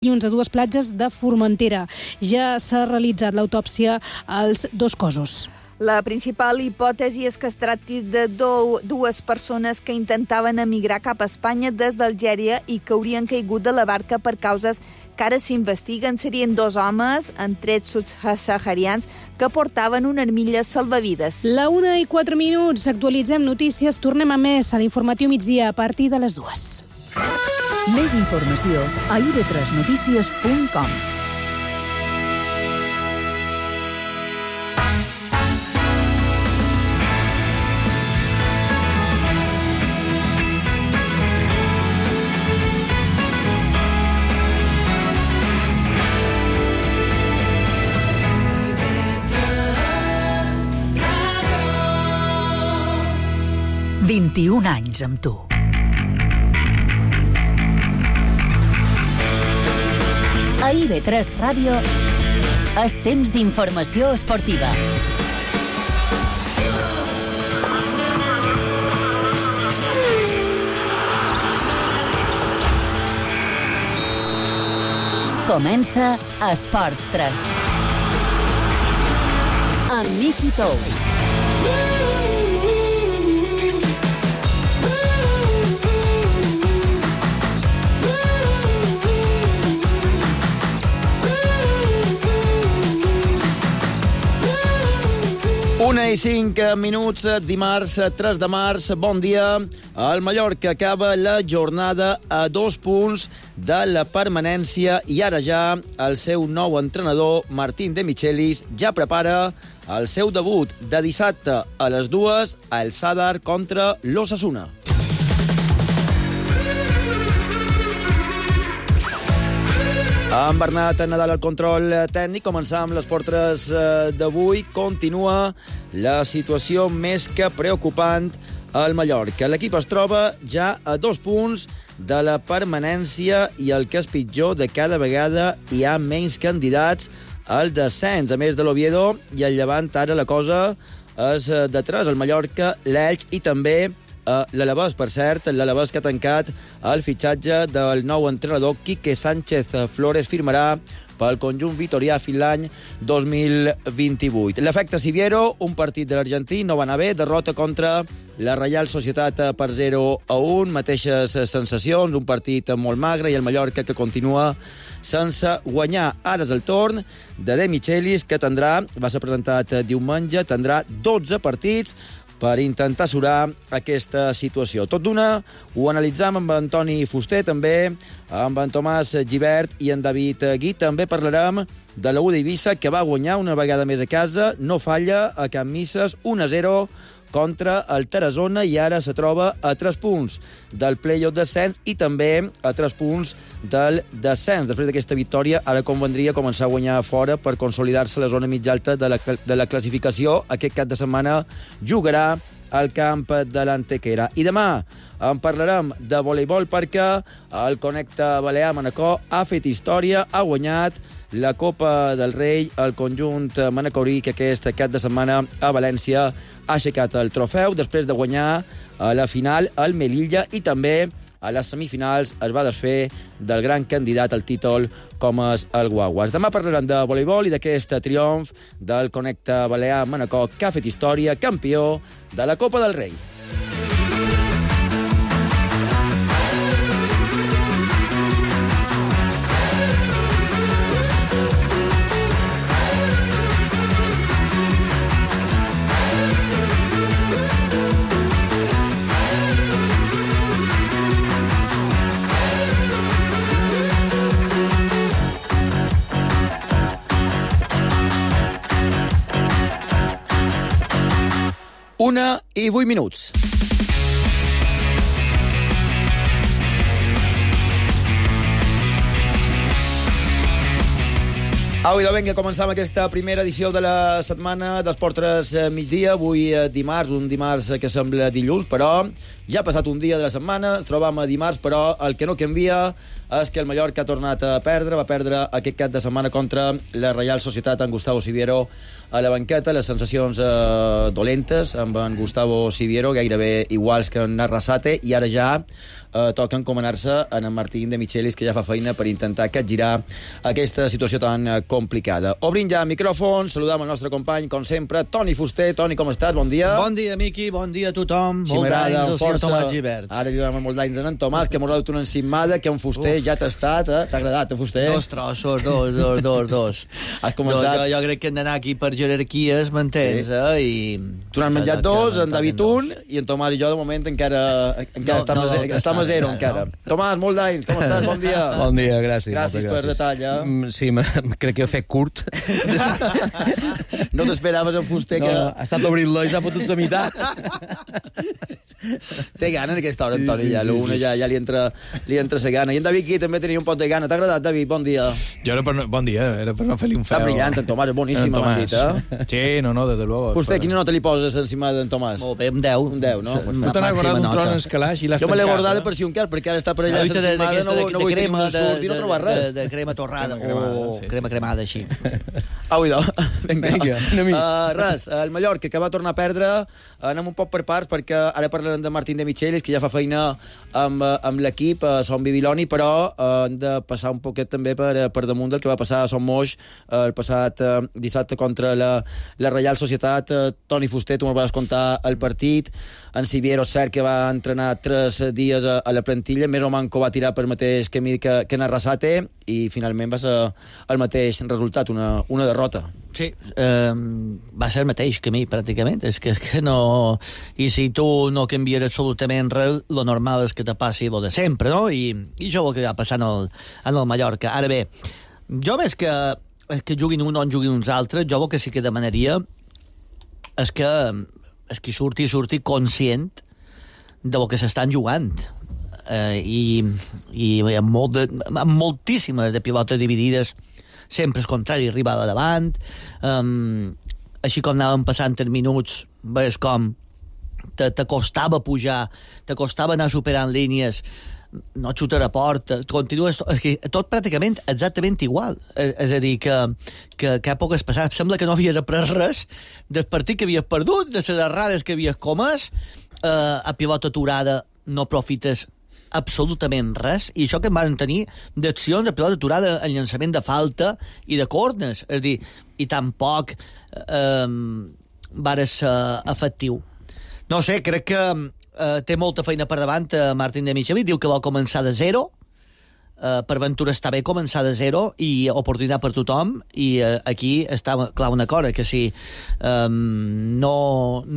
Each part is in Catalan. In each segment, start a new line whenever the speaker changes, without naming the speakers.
a dues platges de Formentera. Ja s'ha realitzat l'autòpsia als dos cossos.
La principal hipòtesi és que es tracti de dues persones que intentaven emigrar cap a Espanya des d'Algèria i que haurien caigut de la barca per causes que ara s'investiguen. Serien dos homes, en trets subsaharians, que portaven una armilla salvavides.
La 1:04, actualitzem notícies, tornem a més a l'informatiu migdia a partir de les 2.
Més informació a ib3notícies.com. « 21 anys amb tu. A IB3 Ràdio és temps d'informació esportiva. Comença Esports 3. Amb Miqui Tous.
Una i 5 minuts, dimarts 3 de març, bon dia. El Mallorca acaba la jornada a 2 punts de la permanència i ara ja el seu nou entrenador, Martín de Michelis, ja prepara el seu debut de dissabte a les 2 a El Sadar contra l'Osasuna. Amb Bernat Nadal al control tècnic, començar amb les portres d'avui. Continua la situació més que preocupant al Mallorca. L'equip es troba ja a 2 punts de la permanència i el que és pitjor, de cada vegada hi ha menys candidats al descens. A més de l'Oviedo i el Llevant, ara la cosa és de 3. El Mallorca, l'Elx i també l'Alavés, per cert, l'Alavés que ha tancat el fitxatge del nou entrenador Quique Sánchez Flores, firmarà pel conjunt vitorià fins l'any 2028. L'efecte Siviero, un partit de l'Argentí, no va anar bé, derrota contra la Reial Societat per 0-1, mateixes sensacions, un partit molt magre i el Mallorca que continua sense guanyar. Ara és el torn de De Michelis, que va ser presentat diumenge, tindrà 12 partits per intentar asurar aquesta situació. Tot d'una, ho analitzam amb Antoni Fuster, també amb en Tomàs Gibert i en David Gui. També parlarem de la U d'Eivissa, que va guanyar una vegada més a casa, no falla a Can Misses, 1-0 contra el Tarazona, i ara se troba a 3 punts del play-off descens i també a 3 punts del descens. Després d'aquesta victòria, ara convendria començar a guanyar fora per consolidar-se a la zona mitja alta de la classificació. Aquest cap de setmana jugarà al camp de l'Antequera. I demà en parlarem de voleibol perquè el Connecte Balear Manacor ha fet història, ha guanyat la Copa del Rei, el conjunt manacorí, que aquest cap de setmana a València ha aixecat el trofeu després de guanyar a la final el Melilla i també a les semifinals es va desfer del gran candidat al títol com és el Guaguas. Demà parlarem de voleibol i d'aquest triomf del Connecte Balear Manacor, que ha fet història, campió de la Copa del Rei. Una i 8 minuts. Au, i vinga, començam aquesta primera edició de la setmana d'Esports migdia. Avui dimarts, un dimarts que sembla dilluns, però ja ha passat un dia de la setmana, ens trobam a dimarts, però el que no canvia és que el Mallorca ha tornat a perdre, va perdre aquest cap de setmana contra la Reial Societat amb Gustavo Siviero a la banqueta, les sensacions dolentes amb en Gustavo Siviero, gairebé iguals que en Arrasate, i ara ja toca encomanar-se en Martín de Michelis, que ja fa feina per intentar capgirar aquesta situació tan complicada. Obrim ja micròfons, saludam el nostre company, com sempre, Toni Fuster. Toni, com estàs? Bon dia.
Bon dia, Miqui, bon dia a tothom.
Si m'agrada, amb força.
Tomàs Gibert.
Ara li donem molts d'anys en Tomàs, que m'ha donat una encimada, que en Fuster ja t'ha estat, T'ha agradat, Fuster?
Dos trossos, dos.
Has començat...
Jo crec que hem d'anar aquí per jerarquies, m'entens,
I... Tu n'has menjat dos, en David un, i en Tomàs i jo, de moment, encara estem a zero, encara. Tomàs, molt d'anys, com estàs? Bon dia.
Bon dia, gràcies.
Gràcies per detall,
Sí, crec que he fet curt.
No t'esperaves en Fuster que...
No, ha estat obrir-lo i s'ha fotut la meitat.
Té gana en aquesta hora, en Toni, ja l'una ja li entra la gana. I en David aquí també tenia un pot de gana. T'ha agradat, David? Bon dia.
Jo bon dia, era per no fer-li un feu.
Està brillant, en Tomàs, és boníssim, m'han dit,
Sí, no, desde luego.
Fuster, quina nota li poses encima d'en Tomàs?
Molt bé, un 10.
Un 10, no?
Tu t'han acordat un tron en escalaix i l'has tancat.
Jo me l'he guardat per si un cas, perquè ara està per allà s'encimada, no vull tenir un surt i no trobar res.
De crema torrada, crema cremada, així.
Au, idò. Vinga,
una mica.
Res, el Mallorca, que va tornar a perdre, anem un poc per parts, perquè ara parlarem de Martín de Michelis, que ja fa feina amb l'equip a Son Bibiloni, però hem de passar un poquet també per damunt del que va passar a Son Moix el passat dissabte contra la Reial Societat. Toni Fuster, tu me'l vas contar el partit. En Siviero, cert que va entrenar 3 dies a la plantilla, més o manco va tirar per mateix camí que en Arrasate, i finalment va ser el mateix resultat, una derrota.
Sí, va ser el mateix camí, pràcticament. És que no... I si tu no canvies absolutament res, lo normal és que te passi lo de sempre, no? I això és el que va passar en el Mallorca. Ara bé, jo més que juguin un o en juguin uns altres, jo el que sí que demanaria és que surti conscient del que s'estan jugant. I amb moltíssimes de pilotes dividides, sempre el contrari arribava davant, així com anàvem passant els minuts, veus com te costava pujar, te costava anar superant línies, no xutar a porta, continues tot pràcticament exactament igual. És a dir, que poques passades, sembla que no havies après res del partit que havies perdut, de les errades que havies comès, a pilota aturada no profites absolutament res, i això que em van tenir d'accions de pilota aturada en llançament de falta i de corners, és a dir, i tampoc va ser efectiu. No sé, crec que té molta feina per davant Martín de Michelis, diu que vol començar de zero, per Ventura està bé començar de zero i oportunitat per tothom, i aquí està clar una cosa, que si no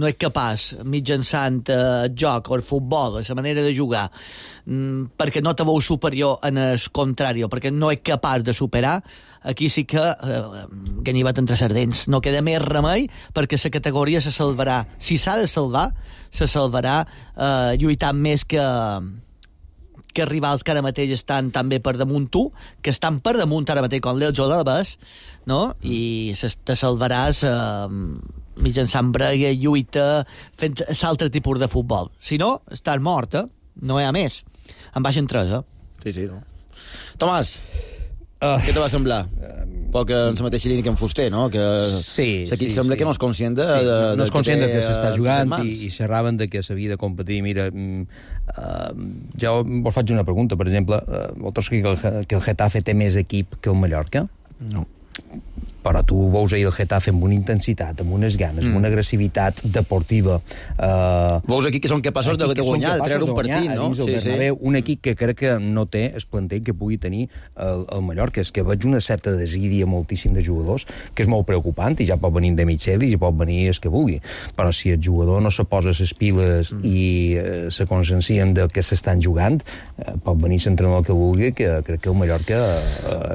és capaç mitjançant el joc o el futbol, la manera de jugar, perquè no te veu superior en el contrari, perquè no és capaç de superar, aquí sí que ganivet entre sardents. No queda més remei, perquè la categoria se salvarà. Si s'ha de salvar, se salvarà lluitant més que rivals que ara mateix estan també per damunt tu, que estan per damunt ara mateix com l'Elx o l'Albes, no? I te salvaràs mitjançant brega, lluita, fent l'altre tipus de futbol. Si no, estàs mort, no hi ha més. En baixen 3,
Sí, no. Tomàs, què te va semblar? Poc en la mateixa línia que en Fuster, no? Que
sí.
Sembla que no és conscient de
no és conscient de que s'està jugant i xerraven de que s'havia de competir. Mira, jo vos faig una pregunta, per exemple, vosaltres que el Getafe té més equip que el Mallorca?
No.
Però tu veus ahir el Getafe amb una intensitat, amb unes ganes, amb una agressivitat deportiva.
Veus aquí que són capaços de guanyar, de treure un partit, no?
Sí. Un equip que crec que no té el plantell que pugui tenir el Mallorca. És que veig una certa desídia moltíssim de jugadors, que és molt preocupant, i ja pot venir de Michelis i pot venir el que vulgui. Però si el jugador no se posa les piles i se consciencien del que s'estan jugant, pot venir l'entrenador que vulgui, que crec que el Mallorca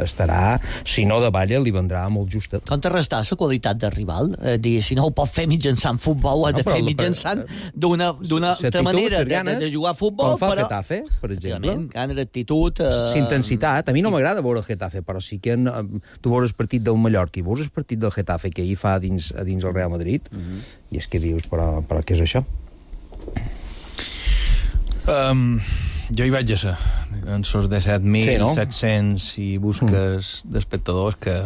estarà, si no de balla, li vendrà molt just.
Contrarrestar la qualitat del rival, dir, si no ho pot fer mitjançant futbol, ho ha de fer mitjançant d'una altra manera de jugar a futbol.
Com fa el Getafe, per exemple.
Gana d'actitud.
Intensitat. A mi no m'agrada veure el Getafe, però sí que tu veus el partit del Mallorca i veus el partit del Getafe que ahir fa a dins el Real Madrid, i és que dius, però què és això?
Jo hi vaig a ser. en sos 17.700 i busques d'espectadors que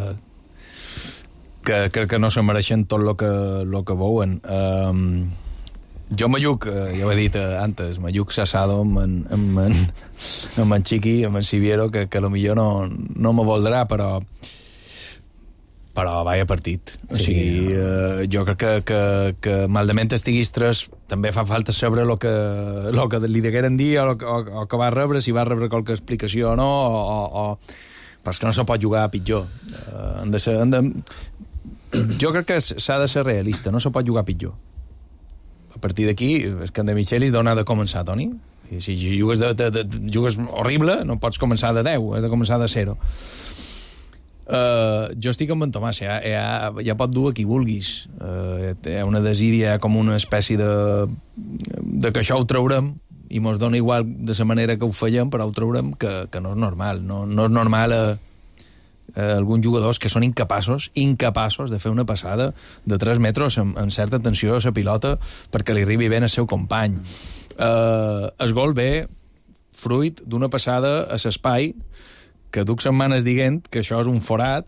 crec que no se mereixen tot lo que veuen. Jo m'alluc, ja ho he dit antes, m'alluc s'assado amb en Chiqui, amb en Siviero, que millor no me voldrà, però vaya partit. O sigui, jo crec que malament estiguis 3, també fa falta saber lo que li degueren dir o que va rebre, si va rebre qualque explicació o no, però és que no se pot jugar pitjor. Jo crec que s'ha de ser realista, no se pot jugar pitjor. A partir d'aquí, és que en De Michelis d'on ha de començar, Toni? I si jugues horrible, no pots començar de 10, has de començar de 0. Jo estic amb en Tomàs, ja pot dur a qui vulguis. Hi ha una desídia com una espècie de que això ho traurem i mos dona igual de la manera que ho fèiem, però ho traurem, que no és normal. No és normal alguns jugadors que són incapaços de fer una passada de 3 metres amb certa tensió a la pilota perquè li arribi ben al seu company. El gol ve fruit d'una passada a l'espai que duc setmanes dient que això és un forat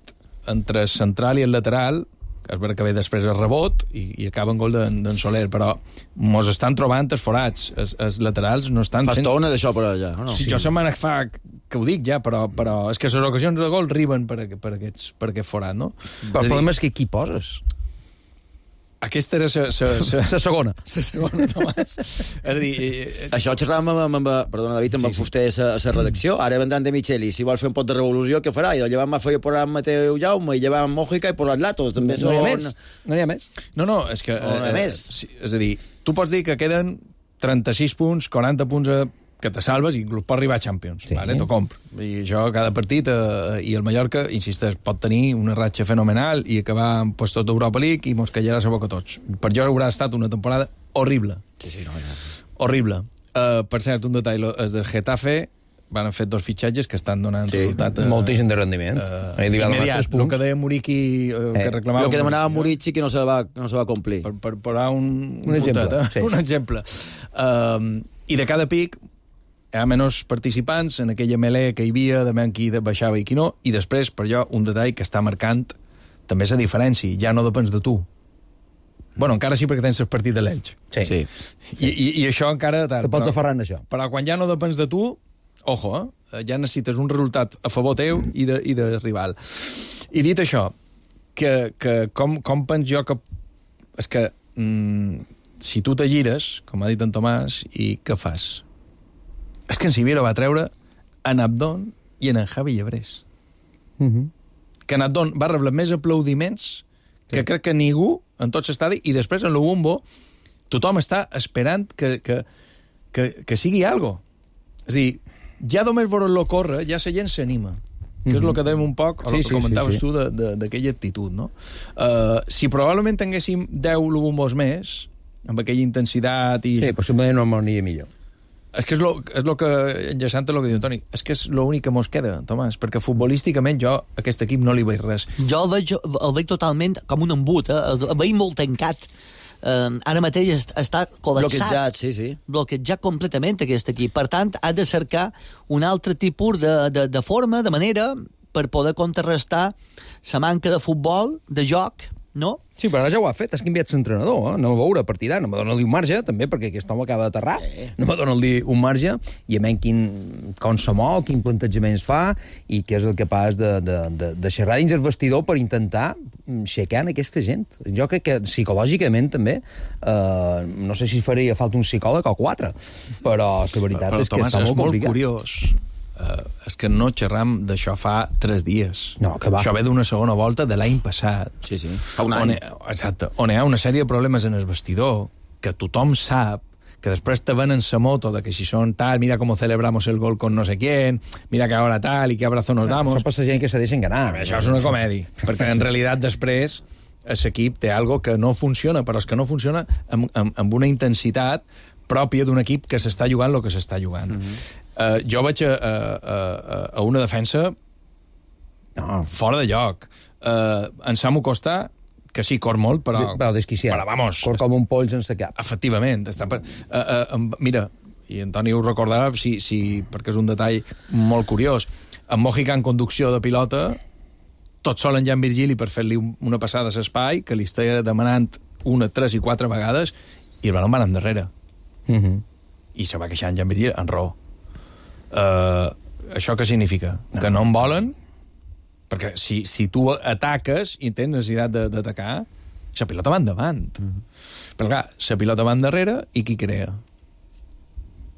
entre el central i el lateral, és veritat que ve després el rebot i acaba en gol d'en Soler, però mos estan trobant els forats, els laterals no estan
fent... Fa estona d'això per allà, no?
Sí, jo setmanes fa que ho dic ja, però és que les ocasions de gol arriben per aquest forat, no?
Però el problema és que qui poses?
Aquesta era la segona. La segona, Tomàs. És a dir...
Això xerràvem perdona, David, amb en Fuster a la redacció. Ara vendran De Michelis. Si vols fer un pot de revolució, què farà? I llevant feia posar Mateu Jaume, i llevant Mojica i posar Lato. També
no hi ha més.
No, és que...
No hi ha més.
És a dir, tu pots dir que queden 36 punts, 40 punts que te salves i inclús pot arribar a Champions. Sí. Vale? T'ho compro. I això, cada partit, i el Mallorca, insisteix, pot tenir una ratxa fenomenal i acabar en puestos d'Europa League i mos callarà la boca tots. Per jo haurà estat una temporada horrible.
Sí, no.
Horrible. Per cert, un detall, els del Getafe van fer 2 fitxatges que estan donant resultat...
Moltíssim de rendiment.
Immediat, el que deia Muriqui, que reclamava...
El que demanava Muriqui que no se va complir.
Per posar un exemple. Sí. Un exemple. I de cada pic hi ha menys participants en aquella melé que hi havia, de qui baixava i qui no, i després, per jo, un detall que està marcant també la diferència, ja no depens de tu. Bueno, encara sí, perquè tens el partit de l'Elx.
Sí.
I això encara...
Te pots aferrar en això.
Però quan ja no depens de tu, ojo, ja necessites un resultat a favor teu i de rival. I dit això, que com pens jo que... És que si tu te gires, com ha dit en Tomàs, i què fas? És que en Siviero va treure en Abdón i en Javi Llebrés. Que en Abdón va rebre més aplaudiments que crec que ningú en tot l'estadi, i després en l'Ubumbo tothom està esperant que sigui algo. És a dir, ja només veure-lo córrer, ja la gent s'anima. Que és el que dèiem un poc, o el que comentaves tu d'aquella actitud, no? Si probablement tinguéssim 10 Lubumbos més, amb aquella intensitat i...
Sí, possiblement no m'aniria millor.
És que és lo que, enllaçant el que diu Toni, és que és l'únic que mos queda, Tomàs, perquè futbolísticament jo a aquest equip no li veig res.
Jo el veig totalment com un embut, el veig molt tancat. Ara mateix està col·lapsat. Bloquejat completament aquest equip. Per tant, ha de cercar un altre tipus de forma, de manera, per poder contrarrestar la manca de futbol, de joc, no?
Sí, però ara ja ho ha fet, has canviat l'entrenador, no va veure partidar, no me dona-li un marge, també, perquè aquest home acaba d'aterrar, no me dona-li un marge, i a menys com se mou, quin plantejament fa, i què és el capaç de xerrar dins el vestidor per intentar aixecar aquesta gent. Jo crec que psicològicament també, no sé si faria falta un psicòleg o 4, però la veritat és que
Tomàs,
està molt complicat.
Molt curiós. És que no xerram d'això fa 3 dies.
No, que va.
Això ve d'una segona volta de l'any passat.
Sí, fa un any.
Exacte. On hi ha una sèrie de problemes en el vestidor que tothom sap, que després te venen la moto de que si són tal, mira com celebramos el gol con no sé quién, mira que ahora tal i que abrazo nos damos.
Això passa gent que se deixen ganar.
Això és una comèdia, perquè en realitat després l'equip té algo que no funciona, però és que no funciona amb una intensitat pròpia d'un equip que s'està jugant el que s'està jugant. Jo vaig a una defensa fora de lloc. En Samu Costa, que sí, cor molt, però...
Desquiciat.
Però, vamos...
Cor com un poll sense cap.
Efectivament. Mira, i Antoni ho recordarà perquè és un detall molt curiós. En Mojica, en conducció de pilota, tot sol en Jan Virgili per fer-li una passada a l'espai, que li estava demanant 1, 3 i 4 vegades, i el balon va anar endarrere. I se va queixar en Jan Virgili en raó. Això què significa? Que no en volen, perquè si tu ataques i tens necessitat d'atacar, la pilota va endavant. Però clar, la pilota va endarrere i qui crea?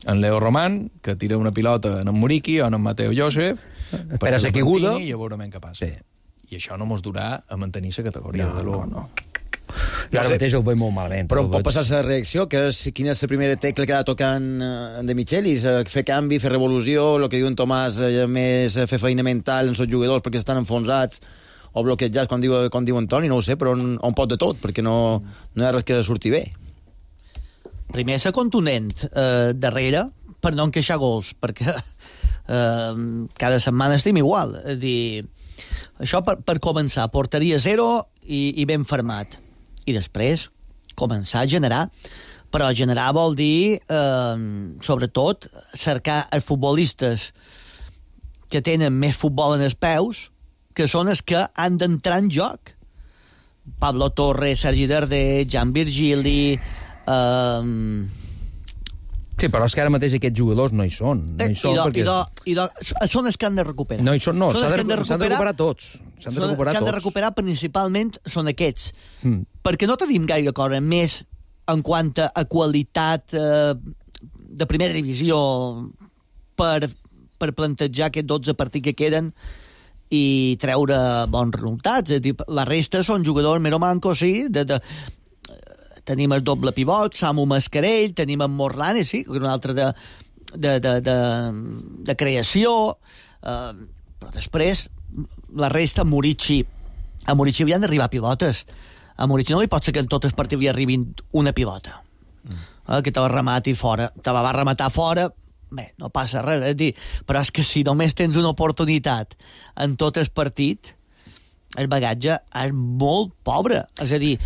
En Leo Román, que tira una pilota en Muriqui o en Mateo Josef,
espera la caiguda
i ja veurem què passa. I això no mos durà a mantenir la categoria de l'U.
No. Jo ara mateix el veig molt malament.
Però pot passar la reacció, que és quina és la primera tecla que ha de tocar en De Michelis, fer canvi, fer revolució, el que diu en Tomàs, més fer feina mental en els jugadors perquè estan enfonsats o bloquejats, com diu Antoni, no ho sé, però un pot de tot, perquè no hi ha res que surti bé.
Primer, ser contundent darrere per no encaixar gols, perquè cada setmana estem igual. És dir, això per començar, porteria 0 i ben fermat. I després començar a generar. Però generar vol dir, sobretot, cercar els futbolistes que tenen més futbol en els peus, que són els que han d'entrar en joc. Pablo Torres, Sergi Darder, Jan Virgili...
Sí, però és que ara mateix aquests jugadors no hi són. Són
els que han de recuperar.
No hi són, no. S'han de recuperar tots.
S'han de recuperar principalment són aquests. Perquè no tenim gaire cosa més en quant a qualitat de primera divisió per plantejar aquests 12 partits que queden i treure bons resultats. És dir, la resta són jugadors mero mancos, sí, tenim el doble pivot, Samu Mascarell, tenim en Morlane, sí, un altre de creació, però després la resta, a Muriqui havien d'arribar pivotes. A Muriqui no li pot ser que en tot el partit li arribin una pivota. Que te va rematar fora. Te va rematar fora, bé, no passa res, és dir, però és que si només tens una oportunitat en tot el partit, el bagatge és molt pobre. És a dir,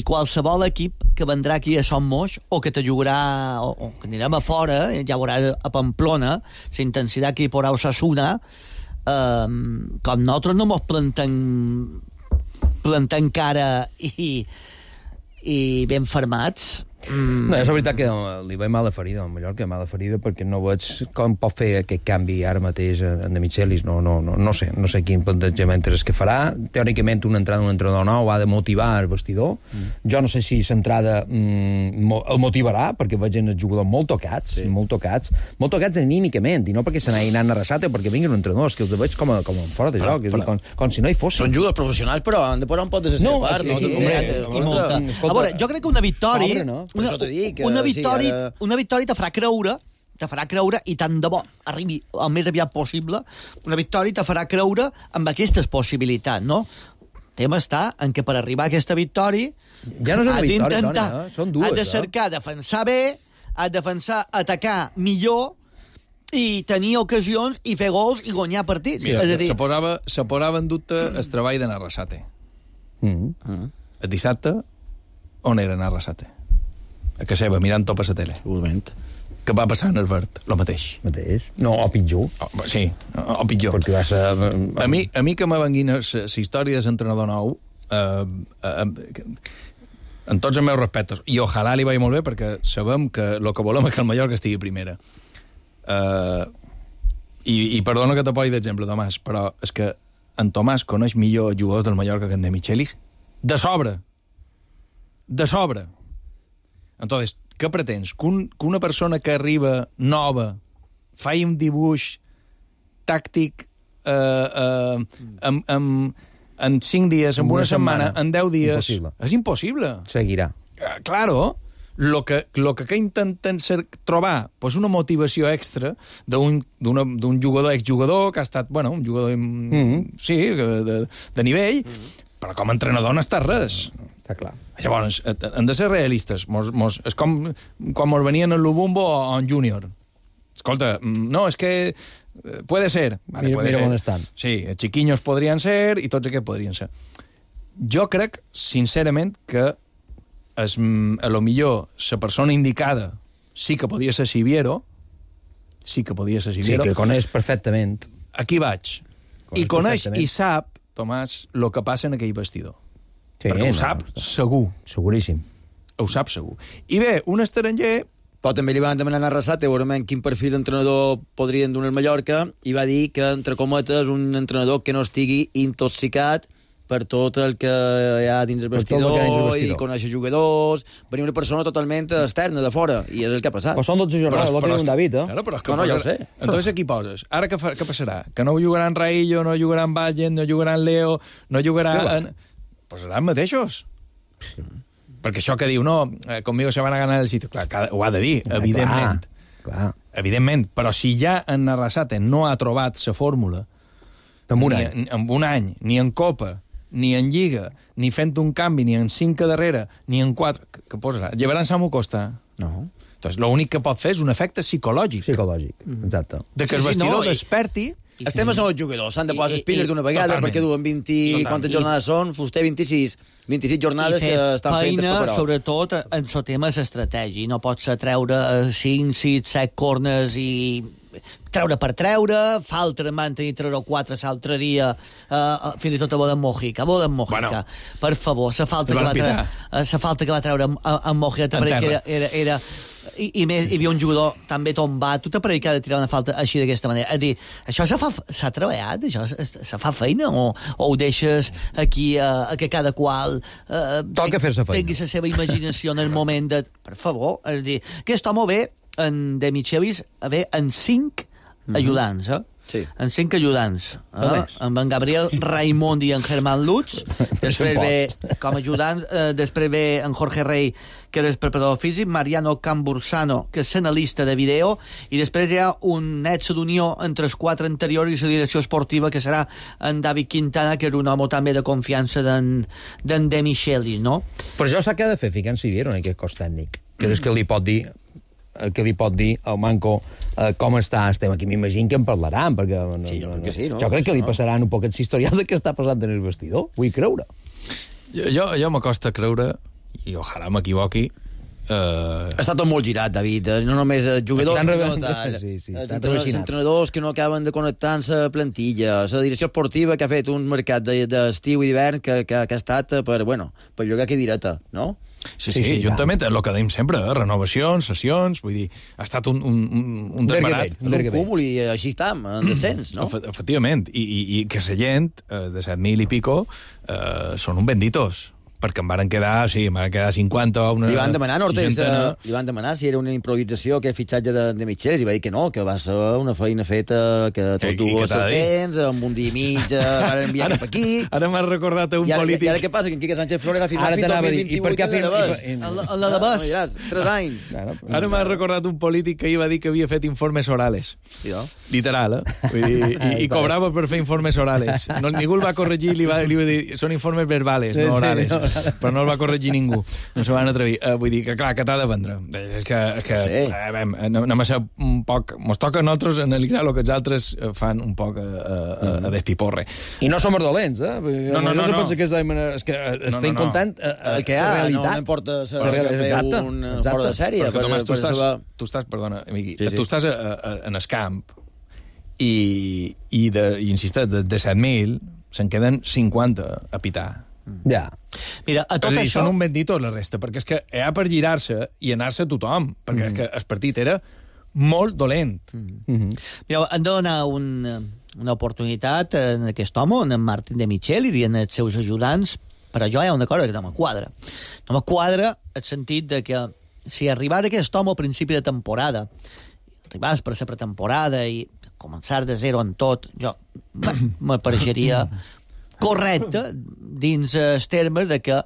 qualsevol equip que vendrà aquí a Son Moix o que te jugarà, o que anirem a fora, ja veuràs a Pamplona, la intensitat que hi posarà Osasuna, com nosaltres no mos plantem cara i ben fermats.
No, és veritat que li veig mala ferida al Mallorca, mala ferida, perquè no veig com pot fer aquest canvi ara mateix en De Michelis. No sé quin plantejament és que farà. Teòricament una entrada d'un entrenador nou ha de motivar el vestidor. Jo no sé si l'entrada el motivarà, perquè veig els jugadors molt tocats anímicament, i no perquè se n'hagi anat a Arrasate, perquè vinguin entrenadors, que els veig com fora de joc, com si no hi fossin.
Són jugadors professionals, però han de posar un pot de la seva part.
A veure, jo crec que una victòria... Una victòria te farà creure, i tant de bo arribi el més aviat possible, una victòria te farà creure amb aquestes possibilitats, no? El tema està en què per arribar a aquesta victòria
ja no és una victòria, Toni, són dues.
Has de cercar defensar bé, has de defensar, atacar millor i tenir ocasions i fer gols i guanyar partits.
Mira, se posava en dubte el treball d'anar a Arrasate. El dissabte, on era anar a Arrasate? A casa seva, mirant top a la tele.
Segurament.
Què va passar en el Verd? Lo mateix.
No, o pitjor.
Sí, o pitjor.
Perquè va ser...
A mi que me venguin la història de l'entrenador nou, en tots els meus respectes, i ojalà li vagi molt bé, perquè sabem que el que volem és que el Mallorca estigui primera. I perdona que t'apoyi d'exemple, Tomàs, però és que en Tomàs coneix millor jugadors del Mallorca que en De Michelis. De sobre. Entonces, què pretens? Que una persona que arriba nova faci un dibuix tàctic en 5 dies, en una setmana, en 10 dies...
Impossible.
És impossible.
Seguirà.
Claro, lo que intenten trobar pues una motivació extra d'un jugador, exjugador, que ha estat, bueno, un jugador sí, de nivell, però com a entrenador no està res.
Està clar.
Llavors, hem de ser realistes. És com quan mos venien en Lubumbo o en Júnior. Escolta, no, és que puede ser. Vale,
mira on estan.
Sí, els chiquiños podrien ser i tots aquests podrien ser. Jo crec, sincerament, que a lo millor la persona indicada, sí que podia ser Siviero,
Sí, que coneix perfectament.
Aquí vaig. I coneix i sap, Tomàs, el que passa en aquell vestidor.
Sí,
perquè ho sap segur.
Seguríssim.
Ho sap segur. I bé, un estranger...
Però també li van demanar a Arrasate veurement quin perfil d'entrenador podrien donar al Mallorca i va dir que, entre cometes, un entrenador que no estigui intoxicat per tot el que hi ha dins el vestidor i conèixer jugadors, venir una persona totalment externa, de fora, i és el que ha passat.
Però són 12 jornades, el que diu un David,
Claro, però és que
no, ja ho sé.
Entonces aquí poses. Ara què passarà? Que no jugaran Raillo, no jugaran Vallen, no jugaran Leo, no jugaran... Posaran mateixos. Sí. Perquè això que diu, no, conmigo se van a ganar el sitio. Clar, ho ha de dir, evidentment.
Clar.
Evidentment, però si ja en Arrasate no ha trobat la fórmula
en
un any, ni en Copa, ni en Lliga, ni fent un canvi, ni en 5 darrere, ni en 4... Què posarà? Llevaran Samu Costa?
No.
Doncs l'únic que pot fer és un efecte psicològic.
Exacte.
De que el vestidor desperti...
Els temes són els jugadors, s'han de posar les piles d'una vegada, perquè duen 20... Quantes jornades són? Vostè 26 jornades que estan fent per
feina, sobretot, en el tema és estratègia. No pot ser treure 5, 6, 7 corners i treure per treure, falta van tenir 3 o 4 l'altre dia, fins i tot a Boden Mojica. Bueno, per favor, la falta que va treure en Mojica, perquè era i més, hi havia un jugador també tombat, tu t'aparell que ha de tirar una falta així d'aquesta manera. És dir, això s'ha treballat? Això se fa feina? O ho deixes aquí que cada qual
toca fer-se feina,
tingui la seva imaginació en el moment de... Per favor, és dir, aquest home ve de Michelis en 5 ajudants,
Sí.
En 5 ajudants, amb en Gabriel Raimond i en Germán Lutz, després ve com a ajudant, després ve en Jorge Rey, que és preparador físic, Mariano Cambursano, que és analista de vídeo, i després hi ha un netze d'unió entre els 4 anteriors i la direcció esportiva, que serà en David Quintana, que és un home també de confiança d'en De Michelis, no?
Però això s'ha de fer ficant Siviero en aquest cos tècnic, que és que li pot dir al Manco com està estem aquí. M'imagino que en parlaran, perquè jo crec que li passaran un poquet l'historial de què està passant en el vestidor. Vull creure.
Jo m'acosta creure, i ojalà m'equivoqui,
està tot molt girat, David. No només jugadors, els entrenadors que no acaben de connectar-se a plantilla, la direcció esportiva que ha fet un mercat d'estiu i d'hivern que ha estat per llogar que direta, no?
Sí, juntament, el que dèiem sempre, renovacions, sessions, vull dir, ha estat un desbarat.
Un cúmul, i així estem, en descens, no?
Efectivament, i que la gent, de 7.000 i pico, són un benditos, perquè em varen quedar 50 o una...
Li van demanar si era una improvisació aquest fitxatge de Michelis, i va dir que no, que va ser una feina feta, que tot ho tens, amb un dia i mig, van enviar cap aquí...
Ara m'has recordat un polític...
I ara què passa? Que en Quique Sánchez Flores ha firmat fins al 2028
a l'Alabàs.
3 anys.
Ara m'has recordat un polític que ahir va dir que havia fet informes orales. Literal, I cobrava per fer informes orales. Ningú el va corregir, li va dir, són informes verbales, no orales. Però no el va corregir ningú, no se van atrevir. Vull dir que, clar, que t'ha de vendre. És que anem a ser un poc... Mos toca a nosaltres analitzar el que els altres fan un poc a despiporre.
I no som dolents,
No.
És que estem contant
el que hi ha, no importa ser un fora de sèrie.
Perquè, Tomàs, tu estàs, perdona, amigui, tu estàs en el camp i insistes, de 7.000 se'n queden 50 a pitar.
Ja.
Mira, a tot això...
Són un bendito la resta, perquè és que hi ha per girar-se i anar-se tothom, perquè és que el partit era molt dolent.
Mira, hem de donar una oportunitat en aquest home, en Martín de Michel i en els seus ajudants, però jo hi ha una cosa que no me quadra. No me quadra el sentit de que si arribara aquest home al principi de temporada, arribàs per la pretemporada i començar de zero en tot, jo m'apareixeria correcte dins els termes de que a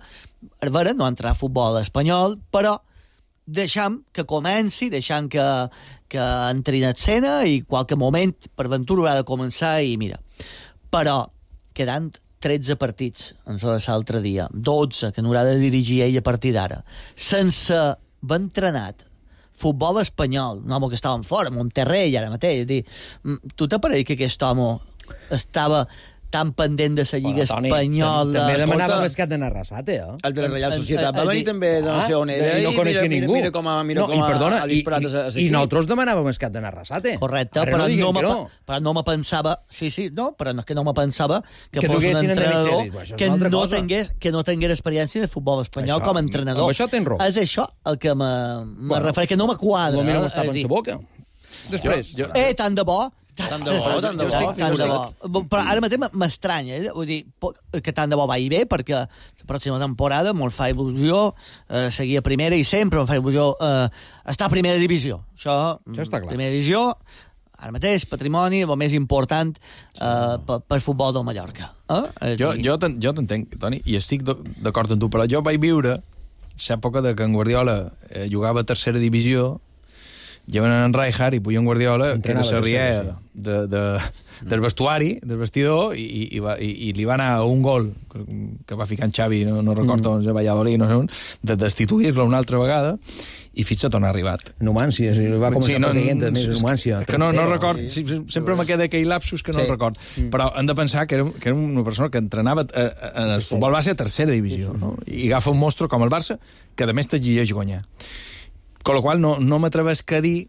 veure, no entrarà a futbol espanyol, però deixam que comenci, deixam que entri en escena i qualque moment per ventura haurà de començar i mira. Però quedant 13 partits en l'altre dia, 12 que n'haurà de dirigir ell a partir d'ara, sense haver entrenat futbol espanyol, un home que estava fora, Monterrey ara mateix, és dir, tu t'apareix que aquest home estava tan pendent de la Lliga Espanyola...
També demanàvem el cap de Arrasate,
El de la Reial Societat va venir també de no sé on era
i no coneixia ningú.
Mira com ha disparat a
I nosaltres demanàvem el cap de Arrasate.
Correcte, però no me pensava... però és que no me pensava que fos un entrenador que no tingués experiència de futbol espanyol com a entrenador.
Amb això tens raó.
És això el que me refereix, que no me quadra.
Potser no m'estava en la boca. Després.
Tant de bo.
Tant de bo.
Però ara mateix m'estranya, vull dir, que tant de bo vagi bé, perquè la pròxima temporada me'l fa il·lusió seguir a primera i sempre em fa il·lusió estar a primera divisió. Això
està clar.
Primera divisió, ara mateix, patrimoni, el més important per futbol del Mallorca.
Jo t'entenc, Toni, i estic d'acord amb tu, però jo vaig viure l'època de que en Guardiola jugava a tercera divisió, lleven en Rijkaard i puja en Guardiola, que era la riera del vestuari, del vestidor, i li va anar un gol que va ficar en Xavi, no recordo on, a Valladolid, no sé on, de destituir-lo una altra vegada, i fins a on ha arribat.
Numància, va començar partint més Numància.
Que no record, sempre me queda aquell lapsus que no record, però hem de pensar que era una persona que entrenava en el futbol base a tercera divisió, no? I agafa un monstru com el Barça, que a més t'exigeix guanyar. Con la qual no m'atrevesc a dir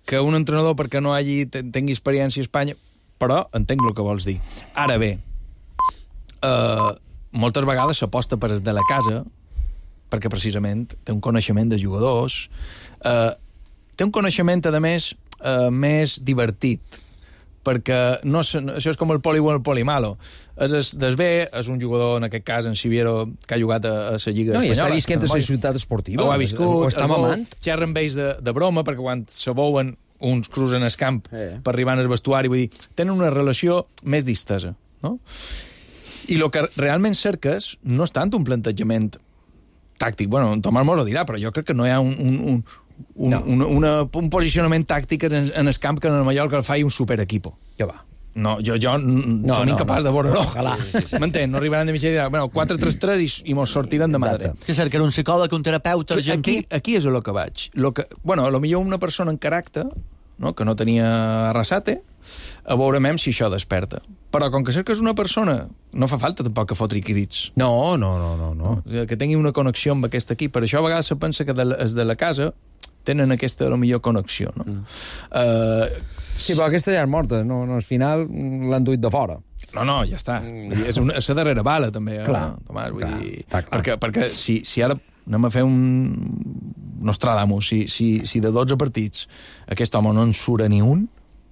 que un entrenador, perquè no tingui experiència a Espanya, però entenc el que vols dir. Ara bé, moltes vegades s'aposta per de la casa, perquè precisament té un coneixement de jugadors, té un coneixement, a més, més divertit, perquè això és com el poli bo i el poli malo. És bé, és un jugador, en aquest cas, en Siviero, que ha jugat a la Lliga Espanyola.
I està visquent a la ciutat esportiva.
Ho ha viscut,
està mamant.
Xerren amb ells de broma, perquè quan se veuen uns cruzen el camp per arribar al vestuari, vull dir, tenen una relació més distesa, no? I el que realment cerques no és tant un plantejament tàctic. Bueno, en Tomàs m'ho dirà, però jo crec que no hi ha un posicionament tàctic en el camp que en el Mallorca el fa un superequipo.
Que va.
No, jo som incapaç de veure-ho. M'entén? No arribaran de mitjà i diran, bueno, 4-3-3 i mos sortiran de madre.
Que cerca un psicòleg, un terapeuta argentí.
Aquí és el que vaig. Bueno, potser una persona en caràcter, no, que no tenia Arrasate, a veurem si això desperta. Però com que cerques una persona, no fa falta tampoc que fotri crits.
No.
Que tingui una connexió amb aquest equip. Per això a vegades se pensa que els de la casa tenen aquesta, millor connexió, no?
Sí, però aquesta ja és morta, no, al final l'han duit de fora.
No, ja està. És la darrera bala, també, Tomàs. Perquè si ara anem a fer un Nostradamus, si de 12 partits aquest home no en surt ni un,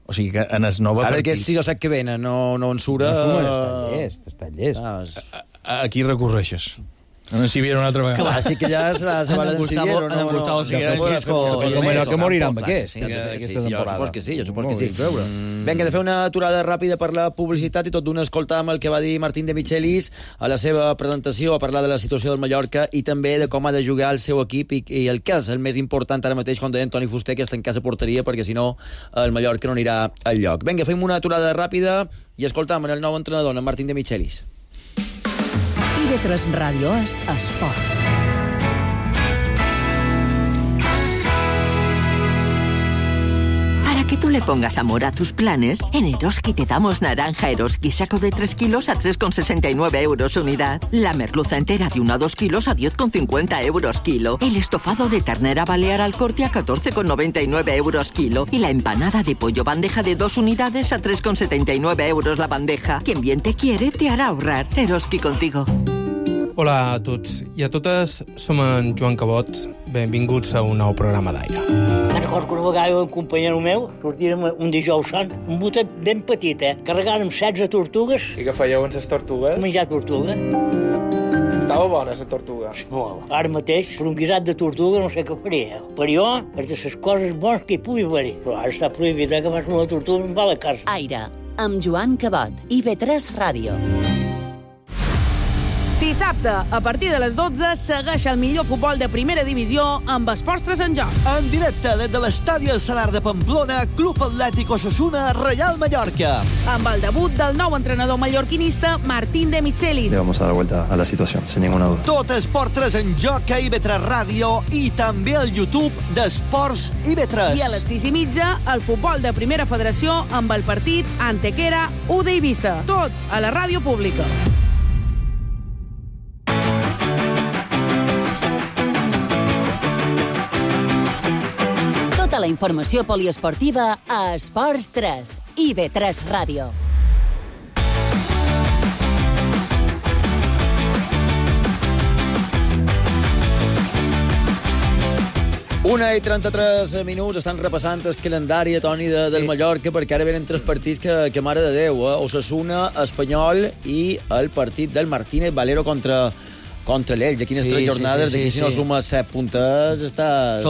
o sigui que en els 9 partits...
Ara aquests 6 o 7 que venen no en surt...
Està llest.
Aquí recorreixes. No en Siviero una altra vegada.
Clar, sí que ja serà la bala d'en Siviero.
En Gustavo Siviero.
Com allò que morirà amb aquest, aquesta temporada.
Jo supos que sí. Vinga, de fer una aturada ràpida per la publicitat i tot d'una escoltar amb el que va dir Martín de Michelis a la seva presentació, a parlar de la situació del Mallorca i també de com ha de jugar el seu equip i el que és el més important ara mateix, com deia Toni Fuster, que està en casa porteria, perquè si no el Mallorca no anirà al lloc. Vinga, fem una aturada ràpida i escoltam el nou entrenador, en Martín de Michelis.
IB3 Ràdio és Esport.
Para que tú le pongas amor a tus planes, en Eroski te damos naranja Eroski saco de 3 kilos a 3,69 euros unidad. La merluza entera de 1 a 2 kilos a 10,50 euros kilo. El estofado de ternera balear al corte a 14,99 euros kilo. Y la empanada de pollo bandeja de 2 unidades a 3,79 euros la bandeja. Quien bien te quiere te hará ahorrar. Eroski contigo.
Hola a tots i a totes, som en Joan Cabot. Benvinguts a un nou programa d'Aire.
Me'n recordo que una vegada un companyero meu sortirem un dijous sant, un botet ben petit, carregàrem 16 tortugues.
I què fèieu amb les tortugues?
Menjar tortuga.
Estava bona, la tortuga.
Ara mateix, per un guisat de tortuga no sé què faria. Per jo, és de les coses bones que hi pugui haver. Però ara està prohibit que vas una tortuga i em va a la casa.
Aire, amb Joan Cabot, IB3 Ràdio.
Dissabte, a partir de les 12, segueix el millor futbol de primera divisió amb Esports 3 en joc.
En directe des de l'estadi El Salar de Pamplona, Club Atlètic Osasuna, Real Mallorca.
Amb el debut del nou entrenador mallorquinista, Martín de Michelis.
Le vamos a dar vuelta a la situación, sin ninguna duda.
Tot Esports 3 en joc a IB3 Ràdio i també al YouTube d'Esports IB3.
I a les 6:30, el futbol de Primera Federació amb el partit Antequera UD Eivissa. Tot a la ràdio pública.
Tota la informació poliesportiva a Esports 3, IB3 Ràdio.
Una i 33 minuts, estan repassant el calendari, Toni, del Mallorca, perquè ara venen 3 partits que mare de Déu, Osasuna, Espanyol i el partit del Martínez Valero contra l'Elx. Aquí en les 3 jornades, d'aquí si no sumes 7 puntes, estàs...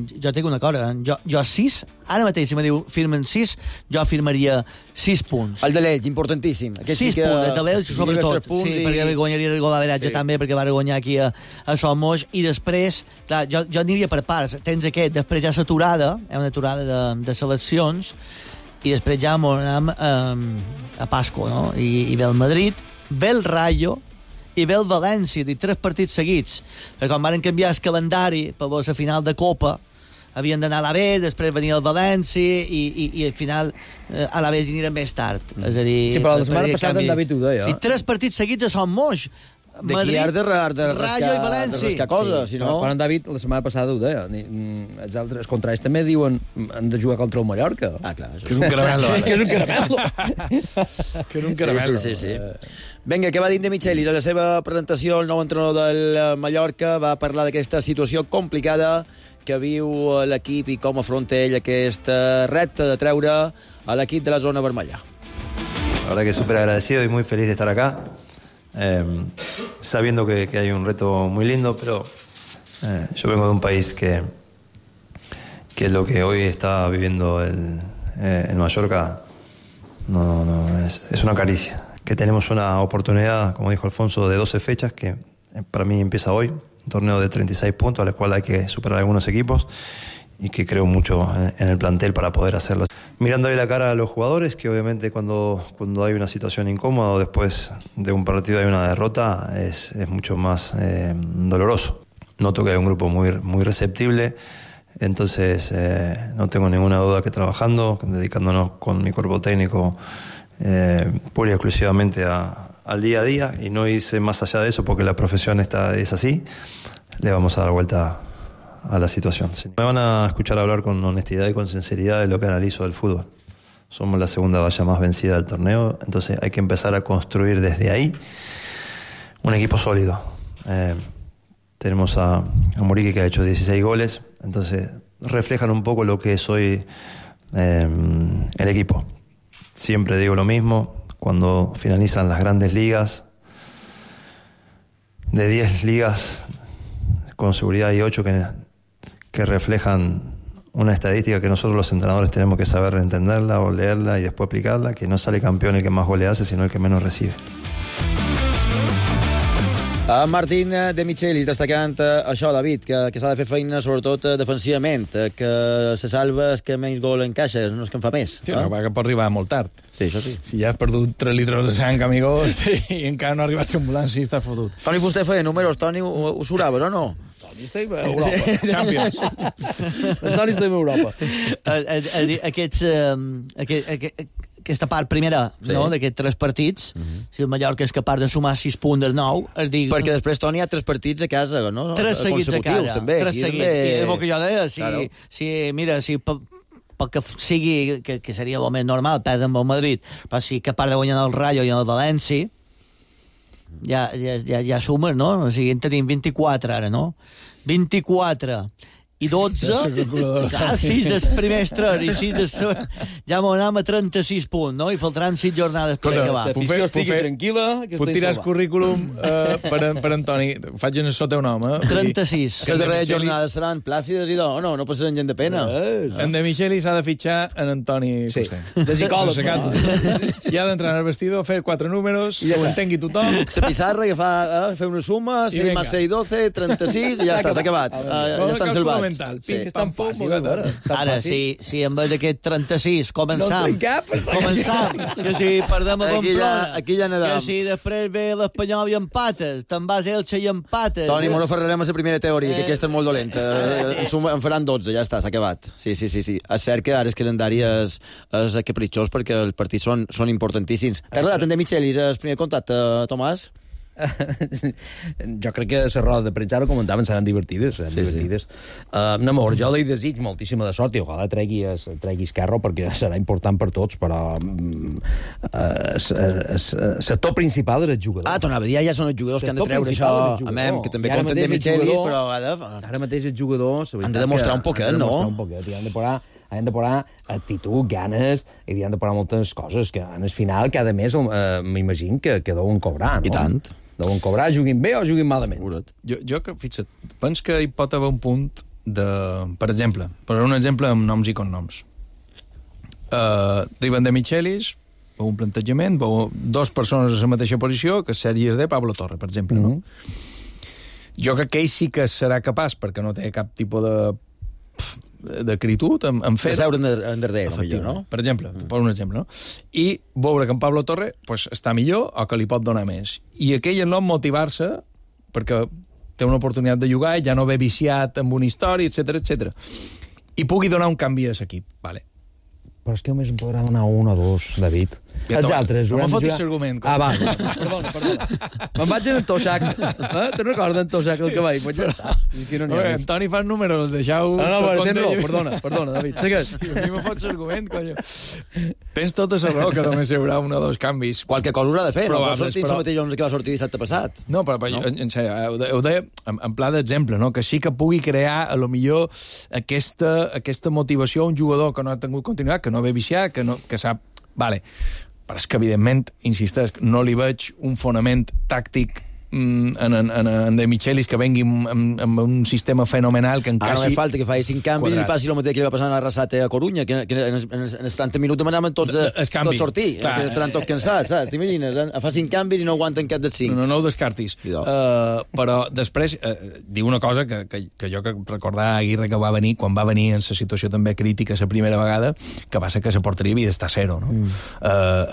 Jo tinc una cosa, jo 6, ara mateix, si me diu firmen 6, jo firmaria 6 punts.
El de l'Elx, importantíssim.
6 punts, el de l'Elx, sobretot. Sí, perquè guanyaria el gol d'averatge també, perquè va guanyar aquí a Somos, i després, clar, jo aniria per parts. Tens aquest, després ja l'aturada, una aturada de seleccions, i després ja anem a Pasco, no? I ve el Madrid, ve el Rayo, i ve el València, 3 partits seguits. Perquè quan van canviar el calendari per la final de Copa, havien d'anar a l'Aver, després venia el València i al final a l'Aver anirem més tard. És a dir,
sí, però la setmana passada en David ho deia.
Sí, 3 partits seguits a Son Moix.
D'aquí has de rascar coses, si no...
Però en David la setmana passada ho deia. Els altres contraris també diuen han de jugar contra el Mallorca.
Ah, clar.
Que és un caramelo.
Que és un caramelo.
Que és un caramelo.
Sí. Vinga, què va dir de Michelis? A la seva presentació, el nou entrenador del Mallorca va parlar d'aquesta situació complicada que viu l'equip i com afronta ell aquesta repte de treure a l'equip de la zona vermella.
La verdad que súper agradecido y muy feliz de estar acá, sabiendo que hay un reto muy lindo, pero yo vengo de un país que lo que hoy está viviendo el Mallorca es una caricia. Que tenemos una oportunidad, como dijo Alfonso, de 12 fechas, que para mí empieza hoy, un torneo de 36 puntos, al cual hay que superar algunos equipos, y que creo mucho en el plantel para poder hacerlo. Mirándole la cara a los jugadores, que obviamente cuando hay una situación incómoda o después de un partido hay una derrota, es mucho más doloroso. Noto que hay un grupo muy receptible, entonces no tengo ninguna duda que trabajando, dedicándonos con mi cuerpo técnico pura y exclusivamente al día a día, y no irse más allá de eso porque la profesión es así, le vamos a dar vuelta a la situación. Me van a escuchar hablar con honestidad y con sinceridad de lo que analizo del fútbol. Somos la segunda valla más vencida del torneo, entonces hay que empezar a construir desde ahí un equipo sólido. Tenemos a Muriqui, que ha hecho 16 goles, entonces reflejan un poco lo que es hoy el equipo. Siempre digo lo mismo, cuando finalizan las grandes ligas, de 10 ligas, con seguridad hay 8 que reflejan una estadística que nosotros los entrenadores tenemos que saber entenderla o leerla y después aplicarla, que no sale campeón el que más goles hace, sino el que menos recibe.
Martín de Michelis destacant això, David, que s'ha de fer feina sobretot defensivament, que se salva el que menys gol encaixa, no és que en fa més.
Sí, que pot arribar molt tard.
Sí, això sí.
Si ja has perdut 3 litres de sang, amigo, i encara no ha arribat l'ambulància i estàs fotut.
Toni Fuster feia números, Toni, ho suraves o no?
Toni està a Europa, Champions.
Toni està a Europa.
Aquesta part primera, no?, d'aquests 3 partits, si el Mallorca és capaç de sumar 6 punts del 9...
Perquè després, Toni, hi ha 3 partits a casa, no?
3 seguits a casa.
També.
3 seguits. I és el que jo deia, si pel que sigui, que seria el més normal, perdre amb el Madrid, però si capaç de guanyar el Rayo i el València, ja sumes, no? O sigui, en tenim 24 ara, no? 24. i 12, 6 dels primers 3 i 6 dels... Ja m'ho anem a 36 punts, no? I faltaran 6 jornades per acabar.
L'afició estigui tranquil·la, que
Puc tirar el currículum per Antoni. Faig en el seu teu nom,
36.
Les darreres jornades seran plàcides i no passaran gent de pena.
En De Michelis s'ha de fitxar en Antoni Fuster.
De psicòleg.
I ha d'entrar al vestidor, fer 4 números, que ho entengui tothom.
La pissarra que fa fer una suma, 6 més 6, 12, 36, i ja està, s'ha acabat. Ja estan salvats.
Sí, és tan fàcil.
Ara, si en vez d'aquest 36 començam, que si perdem a Pamplona,
aquí ja nedam.
que si després ve l'Espanyol i empates, te'n vas a Elche i empates...
Toni, no ferrarem a la primera teoria, que aquesta és molt dolenta. En faran 12, ja està, s'ha acabat. Sí. És cert que ara el calendari és capritxós perquè els partits són importantíssims. T'ha agradat en De Michelis el primer contacte, Tomàs?
Jo crec que les rodes de premsa, ara comentaven, seran divertides. No, amor, jo li desig moltíssima de sort i ojalà tregui Esquerro perquè serà important per tots, però el sector principal és el jugador.
T'anava a dir, ja són els jugadors que han de treure això, que també compten De Michelis, però
ara mateix els jugadors
han de demostrar un poquet, no?
Han de posar actitud, ganes, i han de posar moltes coses, que en el final cada mes m'imagino que deuen cobrar, no?
I tant.
Deuen cobrar, juguin bé o juguin malament.
Jo fixa't, penso que hi pot haver un punt de... Per exemple, un exemple amb noms i cognoms. Arriben De Michelis, veu un plantejament, veu 2 persones a la mateixa posició, que Sergi Esdé, Pablo Torre, per exemple, no? Jo crec que ell sí que serà capaç, perquè no té cap tipus d'acritud en fer...
De seure en darrere, millor, no?
Per exemple, per un exemple, no? I veure que en Pablo Torre està millor o que li pot donar més. I aquell en nom motivar-se perquè té una oportunitat de jugar i ja no ve viciat amb una història, etc. I pugui donar un canvi a l'equip. Vale.
Però és que només em podrà donar 1 o 2, David. Els altres...
No me fotis l'argument.
Va. Perdona. Me'n vaig en Tosac. Te'n recordes en Tosac el cavall? Pues ja està.
Antoni fa números, deixeu...
Perdona, David. Segueix.
A mi me fots l'argument, conyo. Tens tota la raó que només hi haurà 1 o 2 canvis.
Qualque cosa haurà de fer, no? Va sortir el mateix 11 que va sortir dissabte passat.
No, però en sèrio, ho deia en pla d'exemple, no? Que sí que pugui crear, a lo millor, aquesta motivació a un jugador que no ha tingut continuïtat, que no ve viciat, que sap... Vale. Però és que, evidentment, insistesc, no li veig un fonament tàctic en De Michelis que vengui amb un sistema fenomenal que encaixi...
Només falta que faci 5 canvis i li passi el mateix que li va passar a Arrasate a Corunya, que en els 30 minuts demanaven tots sortir, que estaran tots cansats, saps? T'imagines? Fa 5 canvis i no aguanten cap dels 5.
No ho descartis. Però després diu una cosa que jo recordar Aguirre que va venir, quan va venir en la situació també crítica la primera vegada, que va ser que la porteria havia d'estar a 0, no?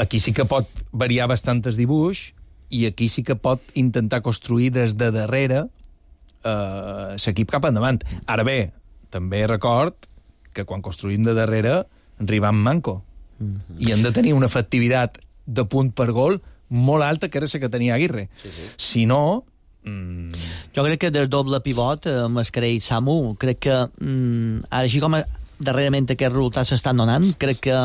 Aquí sí que pot variar bastantes dibuix i aquí sí que pot intentar construir des de darrere l'equip cap endavant. Ara bé, també record que quan construïm de darrere arribam manco. I hem de tenir una efectivitat de punt per gol molt alta, que era la que tenia Aguirre. Si no...
Jo crec que del doble pivot, Mascarell i Samu, crec que ara així com darrerament aquests resultats s'estan donant, crec que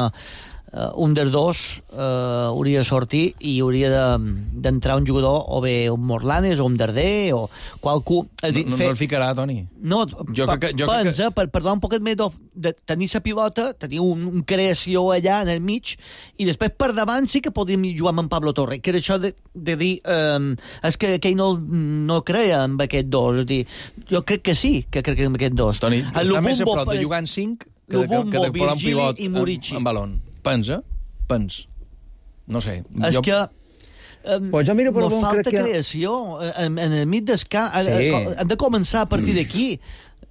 un dels dos hauria de sortir i hauria d'entrar un jugador o bé un Morlanes o un Darder o qualcú...
No el ficarà, Toni.
No, pensa, per donar un poquet més de tenir la pilota, tenir una creació allà en el mig i després per davant sí que podíem jugar amb en Pablo Torre, que era això de dir és que ell no creia amb aquest dos. És dir, jo crec que sí, que crec amb aquest dos.
Toni, està més a prop de jugar en 5 que de posar un pivot en balón. Pensa. No sé.
És que
pues jo miro per
no falta creació en el mig del camp. Han de començar a partir d'aquí.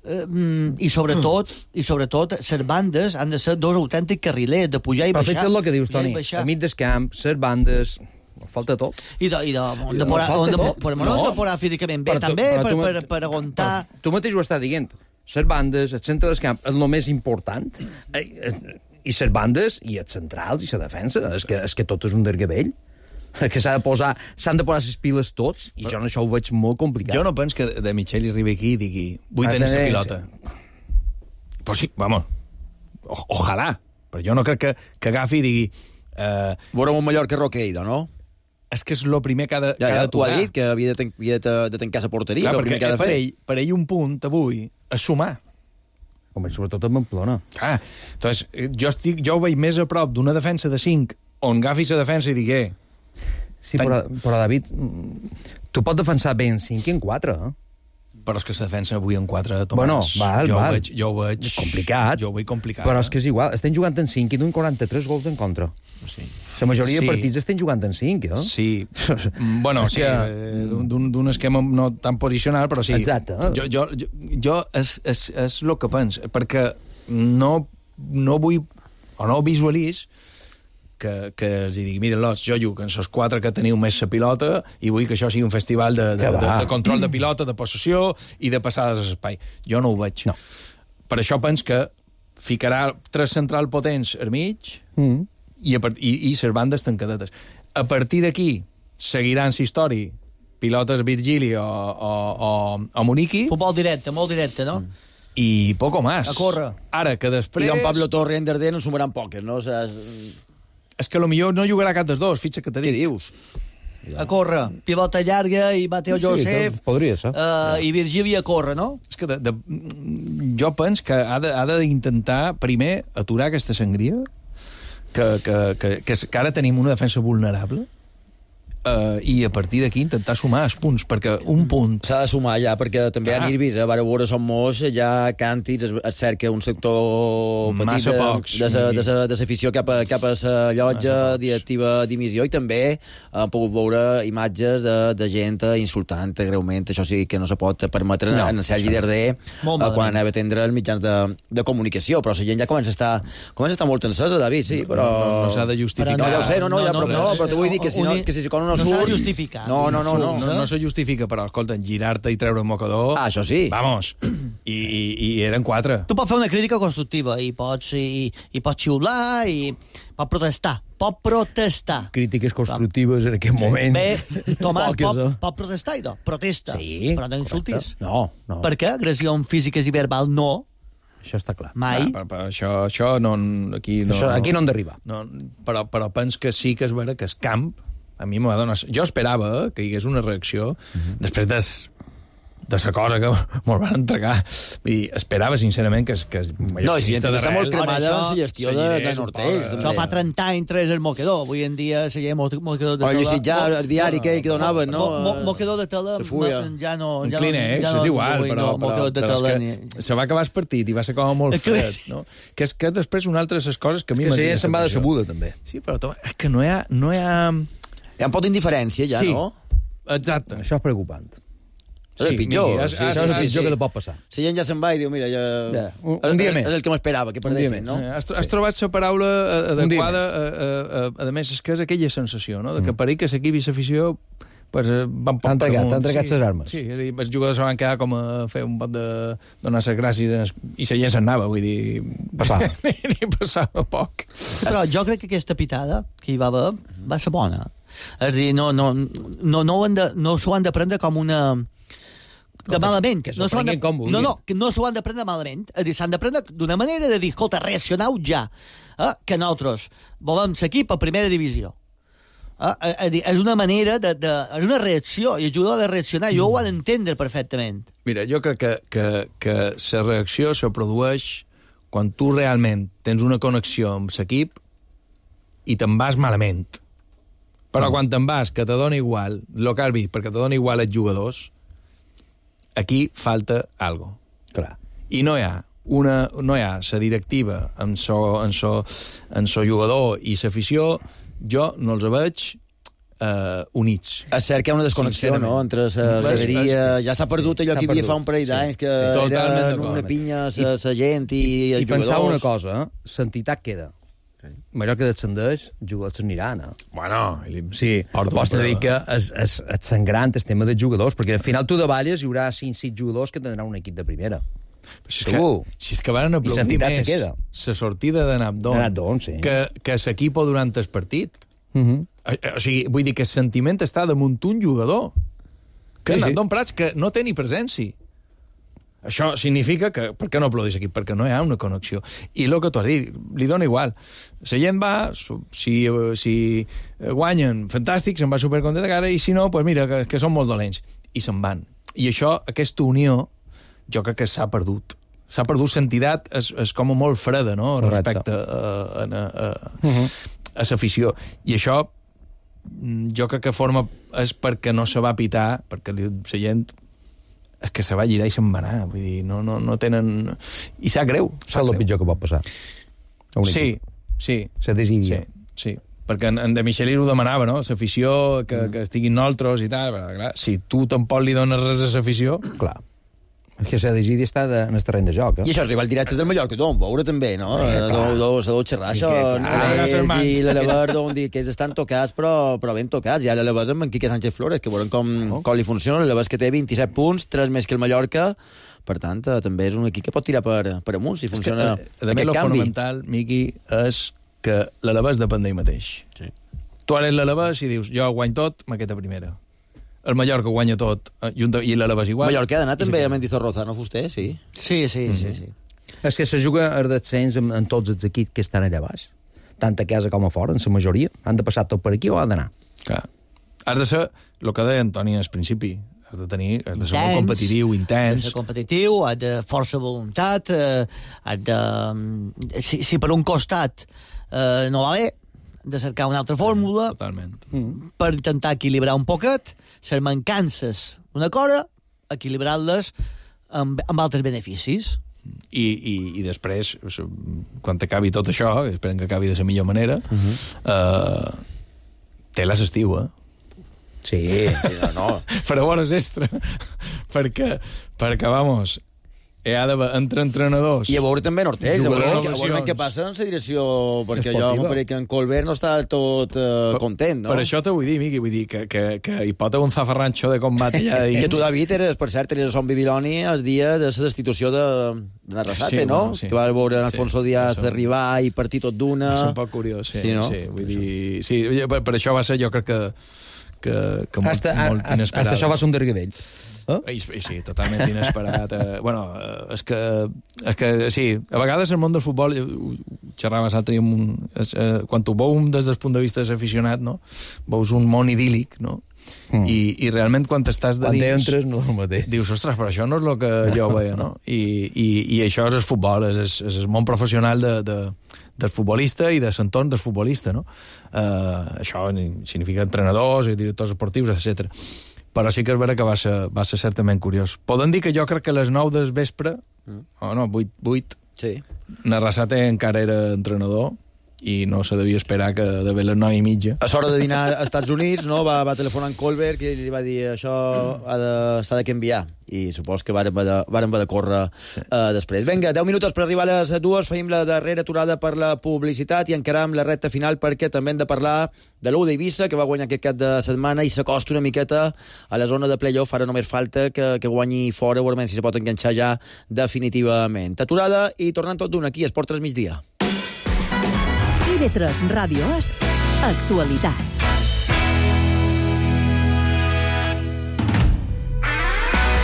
I sobretot les bandes han de ser dos autèntics carrilers, de pujar i baixar.
Però fixa't el que dius, Toni. Al mig del camp, les bandes... Falta tot.
I on de porar físicament bé, també, per aguantar...
Tu mateix ho estàs dient. Les bandes, el centre del camp, és el més important... I les bandes, i els centrals, i la defensa, és que tot és un dergavell. Que s'han de posar les piles tots, i jo això ho veig molt complicat.
Jo no penso que De Michelis arribi aquí i digui vull tenir la pilota. Pues sí, vamos, ojalà. Però jo no crec que agafi i digui...
Veurem un Mallorca Roqueido, no?
És que és el primer que ha de tocar.
Tu has dit que havia de tancar la porteria.
Clar, perquè per ell un punt avui és sumar.
Home, sobretot a Pamplona.
Entonces, jo ho veig més a prop d'una defensa de 5 on agafis la defensa i digué...
Sí, però David, tu pots defensar bé en 5 i en 4,
Però és que la defensa avui en 4, Tomàs.
Bueno, val.
Jo ho veig...
Complicat.
Jo ho veig complicat.
Però és que és igual, estem jugant en 5 i d'un 43 gols en contra.
Sí.
La majoria de partits estem jugant en 5,
Sí. Bueno, sí, d'un esquema no tan posicional, però sí.
Exacte.
Jo és el que penso, perquè no vull, o no visualitz que els digui, mira, jo jugo en els 4 que teniu més la pilota i vull que això sigui un festival de control de pilota, de possessió i de passades a l'espai. Jo no ho veig.
No.
Per això penso que ficarà 3 centrals potents al mig i les bandes tancadetes. A partir d'aquí seguiran la història pilotes Virgili o Moniqui.
Futbol directe, molt directe, no?
I poco más.
A córrer.
Ara, que després...
I don Pablo Torre i Enderder no sumaran poques, no?
És que potser no jugarà cap dels dos, fitxa que te dic.
Què dius?
A córrer, pivota llarga i Mateo Josep,
podria ser.
I Virgili a córrer, no?
És que jo penso que ha d'intentar primer aturar aquesta sangria, que ara tenim una defensa vulnerable, i a partir d'aquí intentar sumar els punts, perquè un punt...
S'ha de sumar ja, perquè també hi ha nervis, vare veure som molts, ja càntics, es cerca un sector petit de l'afició cap a la llotja, directiva dimissió, i també han pogut veure imatges de gent insultant greument, això sí que no se pot permetre en Sergi Darder quan anava a atendre els mitjans de comunicació, però la gent ja comença a estar molt encesa, David, sí, però...
No s'ha de justificar.
No, ja ho sé, però t'ho vull dir que si no
s'ha de justificar.
No se justifica, però, escolta, girar-te i treure un mocador...
això sí.
Vamos. I eren 4.
Tu pots fer una crítica constructiva i pots xiular i pots protestar.
Crítiques constructives en aquest moment.
Bé, Tomàs, pot protestar i no? Protesta.
Sí.
Però no insultis.
No.
Per què? Agressions físiques i verbal no.
Això està clar.
Mai.
Això no... Aquí no
hem d'arribar.
No, però penso que sí que és vera que el camp a mi m'ho va donar... Jo esperava que hi hagués una reacció després de la cosa que me'l van entregar. Vull dir, esperava, sincerament, que
no, si està molt cremada en la gestió de Nortells.
Això fa 30 anys tres el moquedor. Avui en dia se lleva moquedor de tela.
O ja el diari que donaven, no?
Moquedor de tela ja no...
Un Kleenex, és igual, però se va acabar el partit i va ser com molt fred, no? Que és després una altra de les coses que a mi
m'ha dit. Que se'n va de sabuda, també.
Sí, però és que no hi ha...
Hi ha un pot d'indiferència, ja,
sí,
no?
Exacte.
Això és preocupant.
És el pitjor.
És el pitjor que te pot passar.
La gent ja se'n va i diu, mira,
un dia més.
És el que m'esperava, que perdessin, no?
Has trobat la paraula adequada, a més, és que és aquella sensació, no? Que per ahir que l'equip i l'afició van poc per amunt.
T'han entregat les armes.
Sí, els jugadors van quedar com a fer un pot de donar les gràcies i la gent se'n anava, vull dir... Passava poc.
Però jo crec que aquesta pitada que hi va haver va ser bona. És a dir, no s'ho han de prendre com una... de malament.
Que s'ho prenguin com vulguin.
No s'ho han de prendre malament. És a dir, s'han de prendre d'una manera de dir, escolta, reaccioneu ja, que nosaltres volem l'equip a primera divisió. És una manera és una reacció, i el jugador ha de reaccionar, jo ho han d'entendre perfectament.
Mira, jo crec que la reacció se produeix quan tu realment tens una connexió amb l'equip i te'n vas malament. Però quan te'n vas, que te dona igual el que has vist, perquè te dona igual els jugadors, aquí falta algo.
Clar.
I no hi ha la directiva amb so jugador i l'afició, jo no els veig units.
És cert que hi ha una desconnexió, no?, entre la graderia... Ja s'ha perdut allò que hi havia fa un parell d'anys, que era una pinya la gent i els jugadors...
I pensava una cosa, l'entitat queda. Mallorca descendeix, jugadors s'aniran.
Bueno,
sí, pots dir que és sangrant el tema dels jugadors, perquè al final tu de Valles hi haurà 5-6 jugadors que tindran un equip de primera.
Segur. Si és que van aplaudir més la sortida de Nabdon,
sí,
que l'equip durant el partit. O sigui, vull dir que el sentiment està damunt un jugador. Que Nabdon Prats, que no té ni presència. Això significa que... Per què no aplaudís aquí? Perquè no hi ha una connexió. I el que tu has dit, li dona igual. La gent va, si guanyen, fantàstic, se'n va supercontent de cara, i si no, pues mira, que són molt dolents. I se'n van. I això, aquesta unió, jo crec que s'ha perdut. s'ha perdut sentitat, és com molt freda, no?, respecte a l'afició. I això jo crec que és perquè no se va pitar, perquè la gent és que se va girar i se'n va anar, vull dir, no tenen... I sap greu.
És el pitjor que pot passar.
Sí.
La desídia.
Sí, perquè en De Michelis ho demanava, no?, l'afició, que estiguin nosaltres i tal, però clar, si tu tampoc li dones res a l'afició...
Clar. És que la desídia està en el terreny de joc,
I això és rival directe del Mallorca, d'on veure també, no? S'ha xerrar això, i l'Alaber d'on dir que ells estan tocats, però ben tocats. I ara l'Alaber amb en Quique Sánchez Flores, que veurem com li funciona. L'Alaber que té 27 punts, 3 més que el Mallorca, per tant, també és un equip que pot tirar per amunt, si funciona aquest canvi.
Lo fonamental, Miqui, és que l'Alaber depèn d'ell mateix. Tu ara ets l'Alaber i dius, jo guany tot, m'aquesta primera. El Mallorca guanya tot, i l'Alaber igual.
Mallorca ha d'anar també a Mendizorroza, no fuster, sí?
Sí.
És que se juga a descens en tots els equips que estan allà baix. Tant a casa com a fora, en la majoria. Han de passar tot per aquí o ha d'anar?
Clar. Has de ser, el que deia Antoni al principi, has de ser molt competitiu, intens.
Has de ser competitiu, has de força voluntat, has de... Si per un costat no va bé, de cercar una altra fórmula per intentar equilibrar un poquet les mancances d'una cosa, equilibrar-les amb altres beneficis.
I després, quan acabi tot això, esperem que acabi de la millor manera, té l'estiu,
Sí, no.
Per a bones extra. perquè, vamos... ha d'haver entre entrenadors.
I a veure també Nortés, a veure què passa en la direcció, perquè jo crec que en Colbert no està tot content, no?
Per això t'ho vull dir, Miqui, vull dir que hi pot haver un zafarranxo de combat allà dins.
Que tu, David, per cert, eres a Son Bibiloni el dia de la destitució de Arrasate, no? Que va veure Alfonso Díaz arribar i partir tot d'una...
És un poc curiós, sí. Vull dir... Sí, per això va ser, jo crec que molt inesperat.
Hasta això va ser un derguedell.
Sí, totalment inesperat. És que sí, a vegades el món del futbol, xerrava l'altre dia, quan tu veus des del punt de vista d'aficionat, no? Veus un món idíl·lic, no? I realment quan estàs de dins...
Quan entres no és el mateix.
Dius, ostres, però això no és el que jo veia, no? I això és el futbol, és el món professional del futbolista i de l'entorn del futbolista, no? Això significa entrenadors i directors esportius, etc. Però sí que és vera que va ser certament curiós. Podem dir que jo crec que a les 9 del vespre, 8, Arrasate encara era entrenador i no se devia esperar que de les 9:30.
A l'hora de dinar als Estats Units, no, va telefonar en Colbert i li va dir això s'ha de canviar. I supos que vàrem haver de córrer després. Vinga, 10 minuts per arribar a les 2, feim la darrera aturada per la publicitat i encaram la recta final perquè també hem de parlar de l'U d'Eivissa, que va guanyar aquest cap de setmana i s'acosta una miqueta a la zona de playoff. Ara només falta que guanyi fora, veurem si se pot enganxar ja definitivament. Aturada i tornant tot d'un aquí, Esport 3 migdia.
TV3 Ràdio és Actualitat.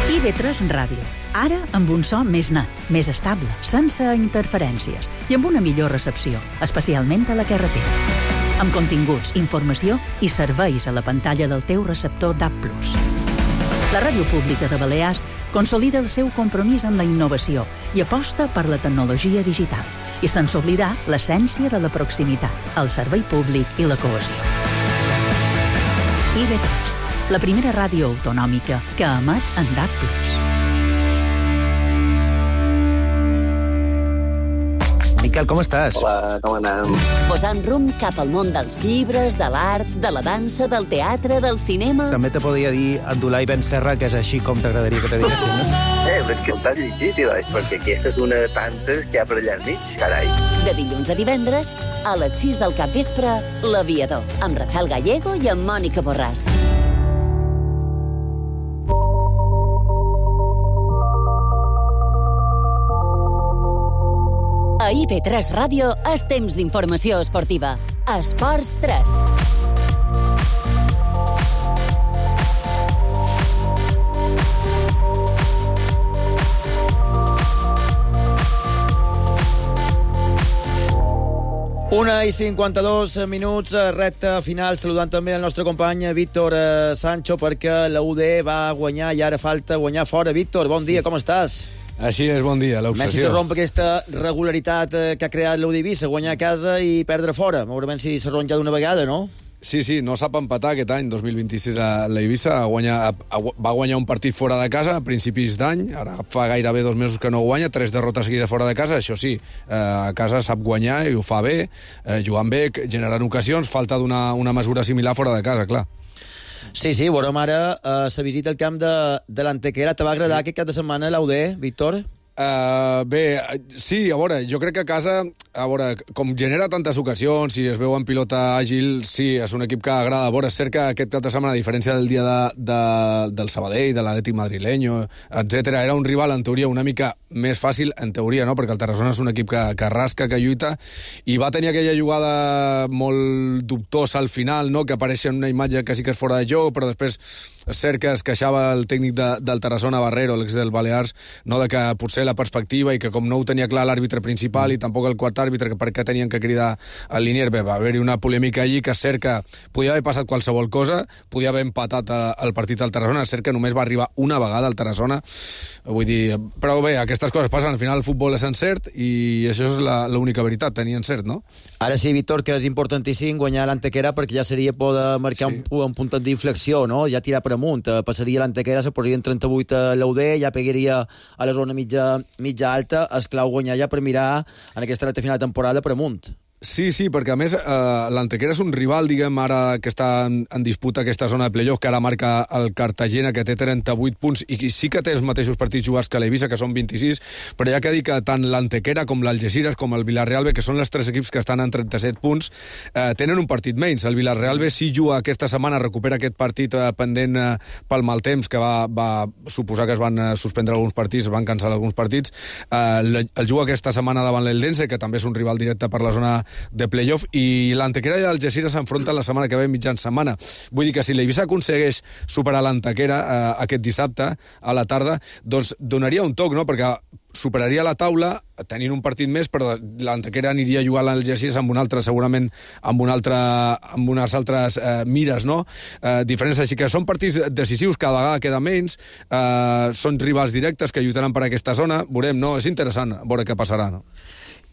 TV3 Ràdio. Ara amb un so més net, més estable, sense interferències i amb una millor recepció, especialment a la carretera. Amb continguts, informació i serveis a la pantalla del teu receptor DAB+. La Ràdio Pública de Balears consolida el seu compromís amb la innovació i aposta per la tecnologia digital i sense oblidar l'essència de la proximitat, el servei públic i la cohesió. IB3, la primera ràdio autonòmica que emet en DAB+.
Miquel, com estàs?
Hola, com anem?
Posant rumb cap al món dels llibres, de l'art, de la dansa, del teatre, del cinema...
També te podria dir Abdulai Ben Serra, que és així com t'agradaria que te diguessin, no?
Però és que t'has llegit, perquè aquesta és una de tantes que hi ha per allà al mig, carai.
De dilluns a divendres, a les 6 del capvespre, L'Aviador, amb Rafael Gallego i amb Mònica Borràs. A IB3 Ràdio és temps d'informació esportiva. Esports 3.
Una i 52 minuts, recta final, saludant també el nostre company Víctor Sancho, perquè la UD va guanyar i ara falta guanyar fora. Víctor, bon dia, com estàs?
Així és, bon dia, l'obsessió.
Messi se romp aquesta regularitat que ha creat l'Eivissa, guanyar a casa i perdre fora. Veurem si se romp ja d'una vegada, no?
Sí, no sap empatar aquest any, 2026, a l'Eivissa. Va guanyar un partit fora de casa a principis d'any, ara fa gairebé 2 mesos que no guanya, 3 derrotes seguides fora de casa, això sí, a casa sap guanyar i ho fa bé, jugant bé, generant ocasions, falta d'una mesura similar fora de casa, clar.
Sí, veurem ara la visita al camp de l'Antequera. Te va agradar aquest cap de setmana l'UD, Víctor?
Bé, sí, a veure, jo crec que a casa, com genera tantes ocasions i es veu en pilota àgil, sí, és un equip que agrada. A veure, és cert que aquest cap de setmana, a diferència del dia del Sabadell, de l'Atlètic madrileño, etc., era un rival, en teoria, una mica més fàcil, en teoria, no?, perquè el Tarragona és un equip que rasca, que lluita, i va tenir aquella jugada molt dubtosa al final, no?, que apareix en una imatge que sí que és fora de joc, però després és cert que es queixava el tècnic del Tarragona, Barrero, l'ex del Balears, no?, de que potser la perspectiva i que com no ho tenia clar l'àrbitre principal i tampoc el quart àrbitre, que per què tenien que cridar al Linier, bé, va haver-hi una polèmica allí que és cert que podia haver passat qualsevol cosa, podia haver empatat el partit al Tarragona, és cert que només va arribar una vegada al Tarragona, vull dir, però bé, aquestes coses passen, al final el futbol és encert i això és l'única veritat, tenir encert, no?
Ara sí, Víctor, que és importantíssim guanyar l'Antequera perquè ja seria poder marcar un punt d'inflexió, no? Ja tirar per amunt, passaria l'Antequera, se posaria en 38 a l'UD, ja pegaria a la zona mitja alta, és clau guanyar ja per mirar en aquesta recta final de temporada per amunt.
Sí, perquè a més l'Antequera és un rival, diguem, ara que està en disputa aquesta zona de playoff, que ara marca el Cartagena, que té 38 punts, i sí que té els mateixos partits jugats que l'Eivissa, que són 26, però ja que dic que tant l'Antequera com l'Algeciras, com el Villarreal B, que són els 3 equips que estan en 37 punts, tenen un partit menys. El Villarreal B sí juga aquesta setmana, recupera aquest partit pendent pel mal temps, que va suposar que es van suspendre alguns partits, es van cancel·lar alguns partits. El juga aquesta setmana davant l'Eldense, que també és un rival directe per la zona de playoff, i l'Antequera i l'Algeciras s'enfronten la setmana que ve mitjan setmana. Vull dir que si l'Eivissa aconsegueix superar l'Antequera aquest dissabte a la tarda, doncs donaria un toc, no?, perquè superaria la taula tenint un partit més, però l'Antequera aniria a jugar a l'Algeciras amb un altre, segurament amb unes altres mires, no? Diferents, així que són partits decisius, cada vegada queda menys, són rivals directes que lluitaran per aquesta zona, veurem, no? És interessant veure què passarà, no?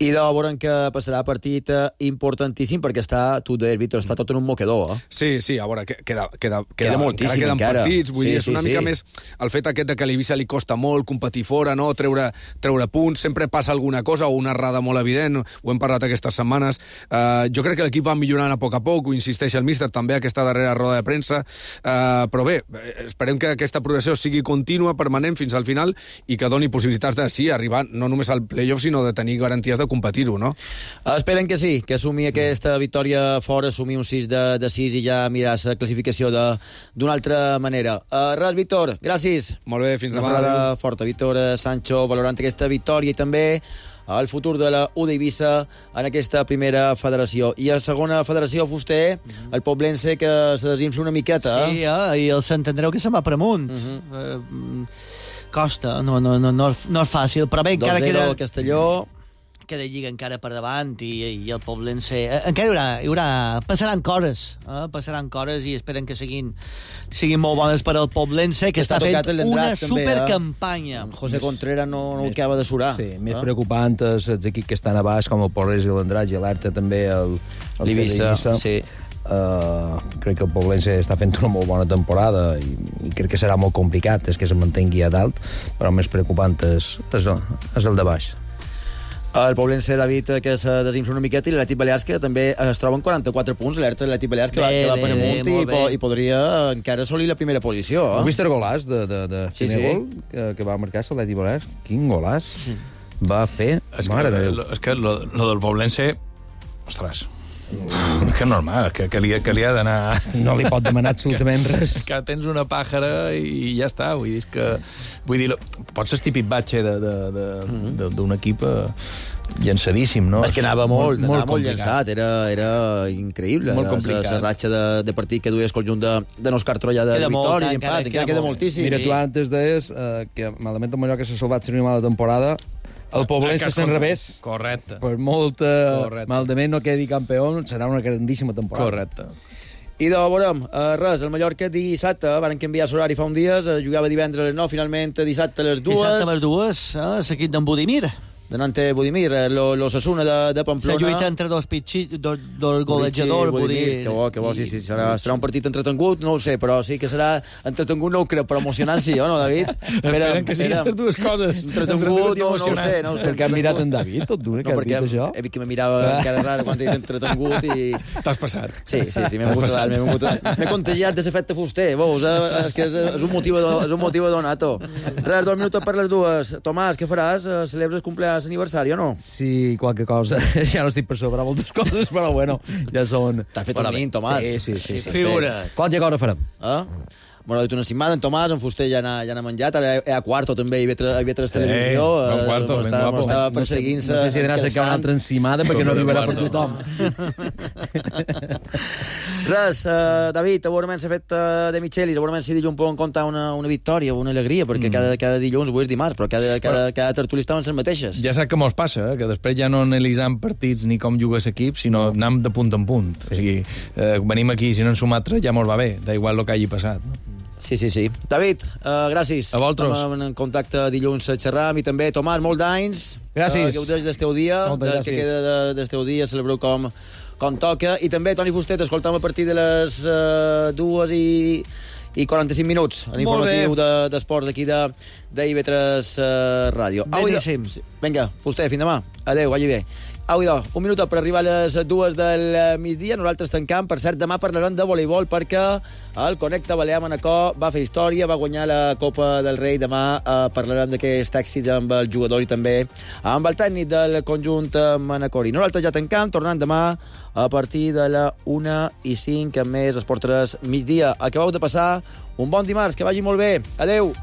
I de veurem que passarà partit importantíssim perquè tu deies, Víctor, està tot en un mocador.
Sí, a veure, queda
moltíssim
queden
encara.
Partits, vull dir, és una mica més el fet aquest de que a l'Eivissa li costa molt competir fora, no? Treure punts, sempre passa alguna cosa o una errada molt evident, ho hem parlat aquestes setmanes. Jo crec que l'equip va millorant a poc, ho insisteix el míster també aquesta darrera roda de premsa, però bé, esperem que aquesta progressió sigui contínua, permanent fins al final i que doni possibilitats de arribar no només al playoff, sinó de tenir garanties de competir-ho, no?
Esperen que sí, que assumi aquesta victòria fora, assumir un 6 de 6 i ja mirar la classificació d'una altra manera. Res, Víctor, gràcies.
Molt bé, fins demà.
Una parada forta, Víctor Sancho, valorant aquesta victòria i també el futur de la UD Eivissa en aquesta primera federació. I a segona federació, Fuster, el Poblense que se desinfla una miqueta.
Sí, i el Sant Andreu que se'n va per amunt. Costa, no és fàcil, però bé, encara queda...
2-0 al Castelló...
queda lliga encara per davant i el Poblense encara hi haurà passaran coses i esperen que siguin molt bones per al Poblense, que està fent una supercampanya.
José Contreras no acaba de surar.
Sí, més preocupant és els equips que estan a baix, com el Porres i l'Andratx, i alerta també el
l'Eivissa. Sí.
Crec que el Poblense està fent una molt bona temporada i crec que serà molt complicat que se mantengui a dalt, però el més preocupant és el de baix.
El Poblense, David, que se desinfla una miqueta, i l'Atlètic Balears, que també es troba en 44 punts, l'alerta de l'Atlètic Balears, que va per amunt i podria encara assolir la primera posició.
Heu vist el golàs de Finegol que va marcar l'Atlètic Balears? Quin golàs va fer? Mare de Déu.
És que lo del Poblense, ostres, que normal, que li ha d'anar...
No li pot demanar absolutament res.
Que tens una pàjara i ja està. Vull dir, pots ser típic batxe d'un equip llançadíssim, no?
És que anava molt llançat, era increïble.
Molt complicat.
La ratxa de partit que duia el conjunt de Òscar Troia de victòria i empat, queda moltíssim.
Mira, tu antes deies que malament el Mallorca s'ha salvat una mala temporada. El Poblense se'n revés.
Correcte.
Per molt malament no quedi campió, serà una grandíssima temporada.
Correcte.
I de veurem, res, el Mallorca dissabte, van canviar l'horari fa un dies, jugava divendres a les 9, finalment dissabte a les 2.
Dissabte a les 2, l'equip d'en Budimir.
De Nante Budimir, l'Osasuna de Pamplona.
La lluita entre dos golejadors.
Budimir, que bo, sí, serà un partit entretengut, no ho sé, però sí que serà entretengut, no ho crec, però emocionant sí, no, David?
Esperen que siguin les dues coses.
Entretengut, no ho sé.
Perquè has mirat en David, tot d'una, que has dit això?
He vist que me mirava cada rara quan he dit entretengut i...
T'has passat.
Sí, m'he contagiat de l'efecte fuster, veus? És que és un motiu donato. Res, 2 minuts per les 2. Tomàs, què faràs? Celebres cumpleaños aniversari o no?
Sí, qualque cosa. Ja no estic per sobre moltes coses, però bueno, ja són...
T'has fet un mint, Tomàs.
Sí.
Figura.
Qualque cosa farem.
Bueno, una setmana, en Tomàs, en Fuster ja n'ha menjat, ara a Quarto també hi havia tres televisió. Estava perseguint-se.
No sé si d'anar a cercar una altra encimada perquè no arribarà per tothom.
Res, David, segurament s'ha fet de Michelis, segurament si dilluns poden contar una victòria, una alegria, perquè cada dilluns, avui és dimarts, però cada tertuli estaven les mateixes.
Ja saps que mos passa, que després ja no analitzam partits ni com juga l'equip, sinó anem de punt en punt. O sigui, venim aquí, si no en sumatra ja mos va bé, da igual el que hagi passat.
Sí. David, gràcies.
A vosaltres.
Estem en contacte dilluns a xerrar, a mi també. Tomàs, molt d'anys.
Gràcies.
Gaudeix del teu dia, que queda del teu dia, celebreu com toca. I també, Toni Fustet, escoltam a partir de les 2 i 45 minuts l'informatiu d'esports d'aquí d'IV3 Ràdio.
Beníssim.
Vinga, Fuster, fins demà. Adéu, vagi bé. Au, un minut per arribar a les 2 del migdia. Nosaltres tancam. Per cert, demà parlarem de voleibol perquè el Connecta Balear Manacor va fer història, va guanyar la Copa del Rei. Demà parlarem d'aquest èxit amb el jugador i també amb el tècnic del conjunt manacori. Nosaltres ja tancam, tornant demà a partir de la 1:05 amb més Esport 3 migdia. Acabeu de passar un bon dimarts, que vagi molt bé. Adéu.